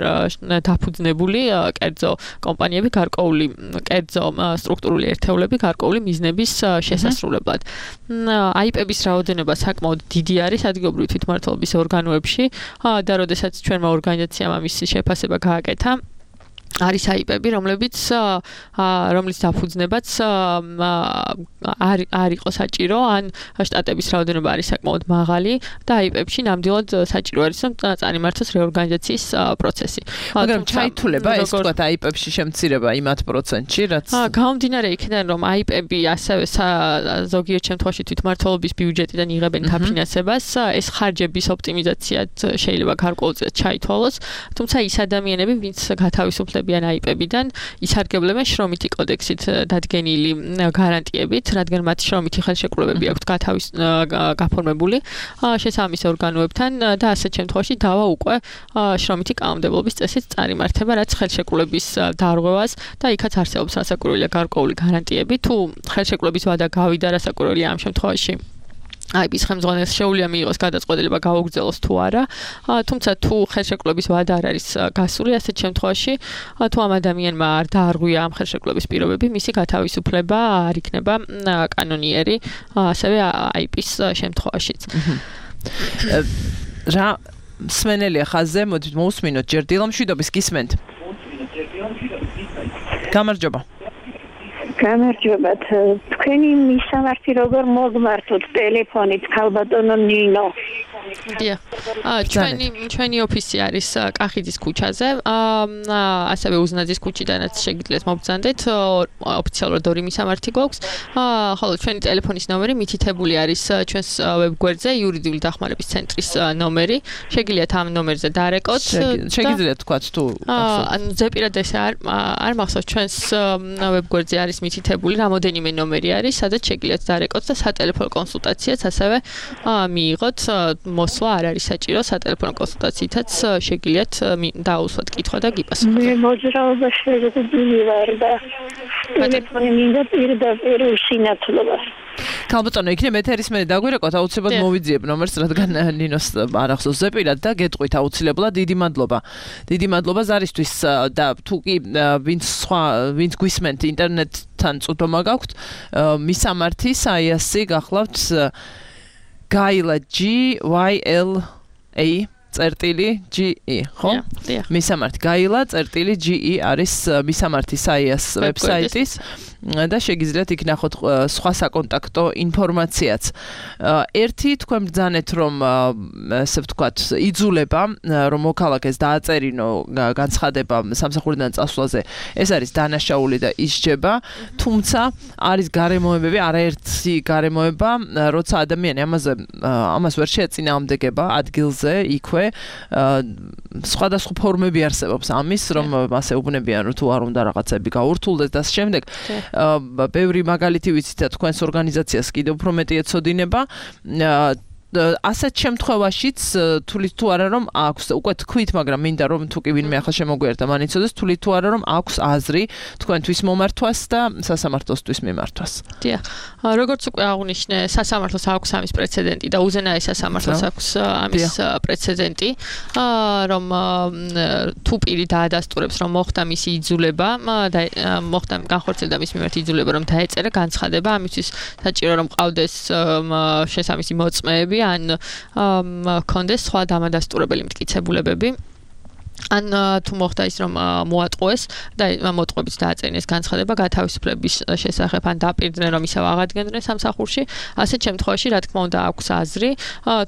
დაფუძნებული კერძო კომპანიები, გარკვეული კერძო სტრუქტურული ერთეულები, გარკვეული მიზნების შესასრულებლად. აიპების რაოდენობა საკმაოდ დიდი არის ადგილობრივი თვითმმართველობის ორგანოებში და როდესაც ჩვენმა ორგანიზაციამ ამის შეფასება გააკეთა, არის აიპები, რომლებიც რომლის დაფუძნებაც არ არ იყო საჭირო, ან შტატების რაოდენობა არის საკმაოდ მაღალი და აიპებში ნამდვილად საჭირო არის რომ წარიმართოს რეორგანიზაციის პროცესი. მაგრამ ჩაითვლება ეს თქვა აიპებში შემცირება იმათ პროცენტში, რაც გამომდინარე იქიდან რომ აიპები ასევე ზოგიერთ შემთხვევაში თვითმმართველობის ბიუჯეტიდან იღებენ დაფინანსებას, ეს ხარჯების ოპტიმიზაციად შეიძლება გარკვეულწილად ჩაითვალოს, თუმცა ის ადამიანები, ვინც გათავისუფლდებიან აიპებიდან, ისარგებლებენ შრომითი კოდექსით დადგენილი გარანტიებით, რადგან მათ შრომითი ხელშეკრულებები აქვთ გათავის გაფორმებული შესაბამის ორგანოებთან და ასეთ შემთხვევაში დავა უკვე შრომითი კანონმდებლობის წესით წარიმართება, რაც ხელშეკრულების დარღვევას და იქაც არსებობს რასაკვირველია გარკვეული გარანტიები, თუ ხელშეკრულების ვადა გავიდა რასაკვირველია ამ შემთხვევაში აიპის ხელმძღვანელს შეუძლია მიიღოს გადაწყვეტილება გაუგრძელოს თუ არა, თუმცა თუ ხელშეკრულების ვადა არ არის გასული, ასეთ შემთხვევაში თუ ამ ადამიანმა არ დაარღვია ამ ხელშეკრულების პირობები, მისი გათავისუფლება არ იქნება კანონიერი, ასევე აიპის შემთხვევაშიც. რა მსმენელია ხაზზე, მოდით მოусმინოთ ჯერ დილამშვიდობის გისმენთ. გამარჯობა. გამარჯობათ. თქვენი მისამართი როგორ მოგმართოთ ტელეფონით ქალბატონო ნინო? დიახ. აა ჩვენი ჩვენი ოფისი არის კახიძის ქუჩაზე. აა ასევე უზნაძის ქუჩიდანაც შეგიძლიათ მობრძანდეთ. ოფიციალურად ორი მისამართი გვაქვს. აა ხოლო ჩვენი ტელეფონის ნომერი მითითებული არის ჩვენს ვებგვერდზე იურიდიული დახმარების ცენტრის ნომერი. შეგიძლიათ ამ ნომერზე დარეკოთ. შეგიძლიათ თქვათ თუ ანუ ზეპირად ეს არ არ მახსოვს ჩვენს ვებგვერდზე არის მითითებული რამოდენიმე ნომერი არის, სადაც შეგიძლიათ დარეკოთ და სატელეფონო კონსულტაციაც ასევე მიიღოთ. მოსვლა არ არის საჭირო, სატელეფონო კონსულტაციითაც შეგიძლიათ დაუსვათ კითხვა და გიპასუხოთ. მე მოძრაობაში შეგიძლია ვარ და ტელეფონი მინდა პირდაპირ უსინათლობა. ქალბატონო, იქნებ ეთერის მე დაგვირეკოთ, აუცილებლად მოვიძიებ ნომერს, რადგან ნინოს არ ახსოვს ზეპირად და გეტყვით აუცილებლად. დიდი მადლობა. დიდი მადლობა ზარისთვის და თუ კი ვინც სხვა ვინც გვისმენთ ინტერნეტთან წვდომა გაქვთ, მისამართი საიასი გახლავთ გაილა G Y L A წერტილი G E, ხო? მისამართი გაილა წერტილი G E არის მისამართი საიას ვებსაიტის და შეგიძლიათ იქ ნახოთ სხვა საკონტაქტო ინფორმაციაც. ერთი თქვენ ბრძანეთ რომ ესე ვთქვათ იძულება რომ მოქალაქეს დააწერინო განცხადება სამსახურიდან წასვლაზე, ეს არის დანაშაული და ისჯება, თუმცა არის გარემოებები, არაერთი გარემოება, როცა ადამიანი ამაზე ამას ვერ შეეწინააღმდეგება ადგილზე იქვე, სხვადასხვა ფორმები არსებობს ამის, რომ ასე უბნებიან რომ თუ არ უნდა რაღაცები გაურთულდეს და შემდეგ ბევრი მაგალითი ვიცით და თქვენს ორგანიზაციას კიდევ უფრო მეტი ეცოდინება. ასეთ შემთხვევაშიც თulit თუ არა რომ აქვს უკვე თქვით, მაგრამ მინდა რომ თუ კი ვინმე ახლა შემოგვიერთდა მან იცოდეს თulit თუ არა რომ აქვს აზრი თქვენთვის მომართვას და სასამართლოსთვის მიმართვას. დიახ. როგორც უკვე აღნიშნე, სასამართლოს აქვს ამის პრეცედენტი და უზენაეს სასამართლოს აქვს ამის პრეცედენტი, რომ თუ პირი დაადასტურებს რომ მოხდა მისი იძულება და მოხდა განხორციელდა მის მიმართ იძულება რომ დაეწერა განცხადება, ამისთვის საჭირო რომ ყავდეს შესაბამისი მოწმეები ან კონდეს სხვა დამადასტურებელი მტკიცებულებები. ან თუ მოხდა ის რომ მოატყუეს და მოტყუებით დააწერინეს განცხადება გათავისუფლების შესახებ ან დაპირდნენ რომ ისევ აღადგენდნენ სამსახურში, ასეთ შემთხვევაში რა თქმა უნდა აქვს აზრი,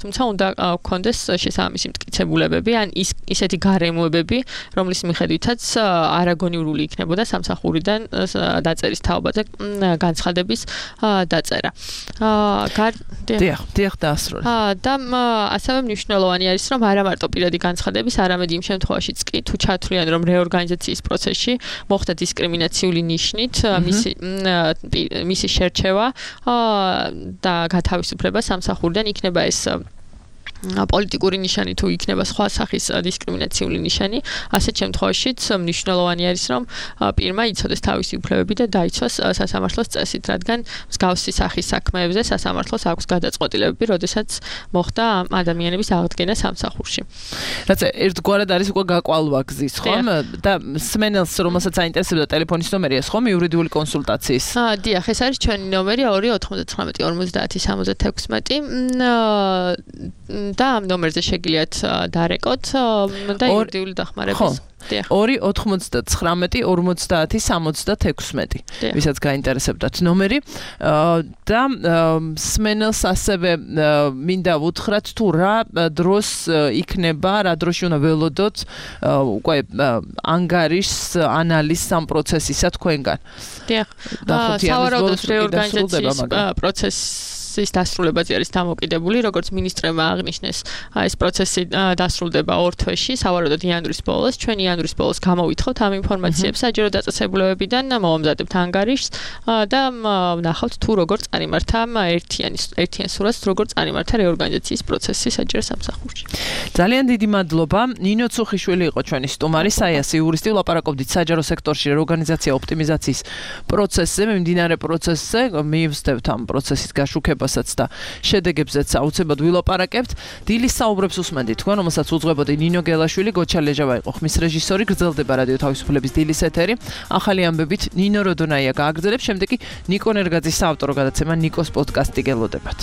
თუმცა უნდა გქონდეს შესაბამისი მტკიცებულებები ან ის ისეთი გარემოებები, რომლის მიხედვითაც არაგონიურული იქნებოდა სამსახურიდან დაწერის თაობაზე განცხადების დაწერა. დიახ, დიახ დაასრულე. და ასევე მნიშვნელოვანი არის რომ არა მარტო პირადი განცხადების, არამედ იმ შემთხვევაში შემთხვევაშიც კი თუ ჩათვლიან რომ რეორგანიზაციის პროცესში მოხდა დისკრიმინაციული ნიშნით მისი მისი შერჩევა და გათავისუფლება სამსახურიდან იქნება ეს პოლიტიკური ნიშანი თუ იქნება სხვა სახის დისკრიმინაციული ნიშანი, ასეთ შემთხვევაშიც მნიშვნელოვანი არის, რომ პირმა იცოდეს თავისი უფლებები და დაიცვას სასამართლოს წესით, რადგან მსგავსი სახის საქმეებზე სასამართლოს აქვს გადაწყვეტილებები, როდესაც მოხდა ადამიანების აღდგენა სამსახურში. რაც ერთგვარად არის უკვე გაკვალვა გზის, ხომ? და სმენელს, რომელსაც აინტერესებდა ტელეფონის ნომერია, ხომ, იურიდიული კონსულტაციის. აა, დიახ, ეს არის ჩვენი ნომერი ორი ოთხმოცდათვრამეტი ორმოცდაათი სამოცდათექვსმეტი. და ამ ნომერზე შეგიძლიათ დარეკოთ და იურიდიული დახმარების. ორი ოთხმოცდათვრამეტი ორმოცდაათი სამოცდათექვსმეტი. ვისაც გაინტერესებდათ ნომერი და სმენელს ასევე მინდა ვუთხრათ თუ რა დროს იქნება, რა დროში უნდა ველოდოთ უკვე ანგარიშს ანალიზს ამ პროცესისა თქვენგან. დიახ. სავარაუდოდ რეორგანიზაციის პროცესი ის დასრულებაზე არის დამოკიდებული, როგორც მინისტრმა აღნიშნეს, ეს პროცესი დასრულდება ორ თვეში, სავარაუდოდ იანვრის ბოლოს. ჩვენ იანვრის ბოლოს გამოვითხოვთ ამ ინფორმაციებს საჯარო დაწესებულებებიდან, მოვამზადებთ ანგარიშს და ვნახავთ თუ როგორ წარიმართა ერთიანი ერთიან სურათს, როგორ წარიმართა რეორგანიზაციის პროცესი საჯარო სამსახურში. ძალიან დიდი მადლობა. ნინო ცუხიშვილი იყო ჩვენი სტუმარი, საიასი იურისტი, ვლაპარაკობდით საჯარო სექტორში რეორგანიზაცია ოპტიმიზაციის პროცესზე, მიმდინარე პროცესზე, მივსდევთ ამ პროცესის გაშუქება და შედეგებზეც აუცილებლად ვილაპარაკებთ. დილის საუბრებს უსმენთ თქვენ, რომელსაც უძღვებოდი ნინო გელაშვილი, გოჩა ლეჟავა იყო ხმის რეჟისორი, გრძელდება რადიო თავისუფლების დილის ეთერი. ახალი ამბებით ნინო როდონაია გააგრძელებს, შემდეგ კი ნიკო ნერგაძის საავტორო გადაცემა ნიკოს პოდკასტი გელოდებათ.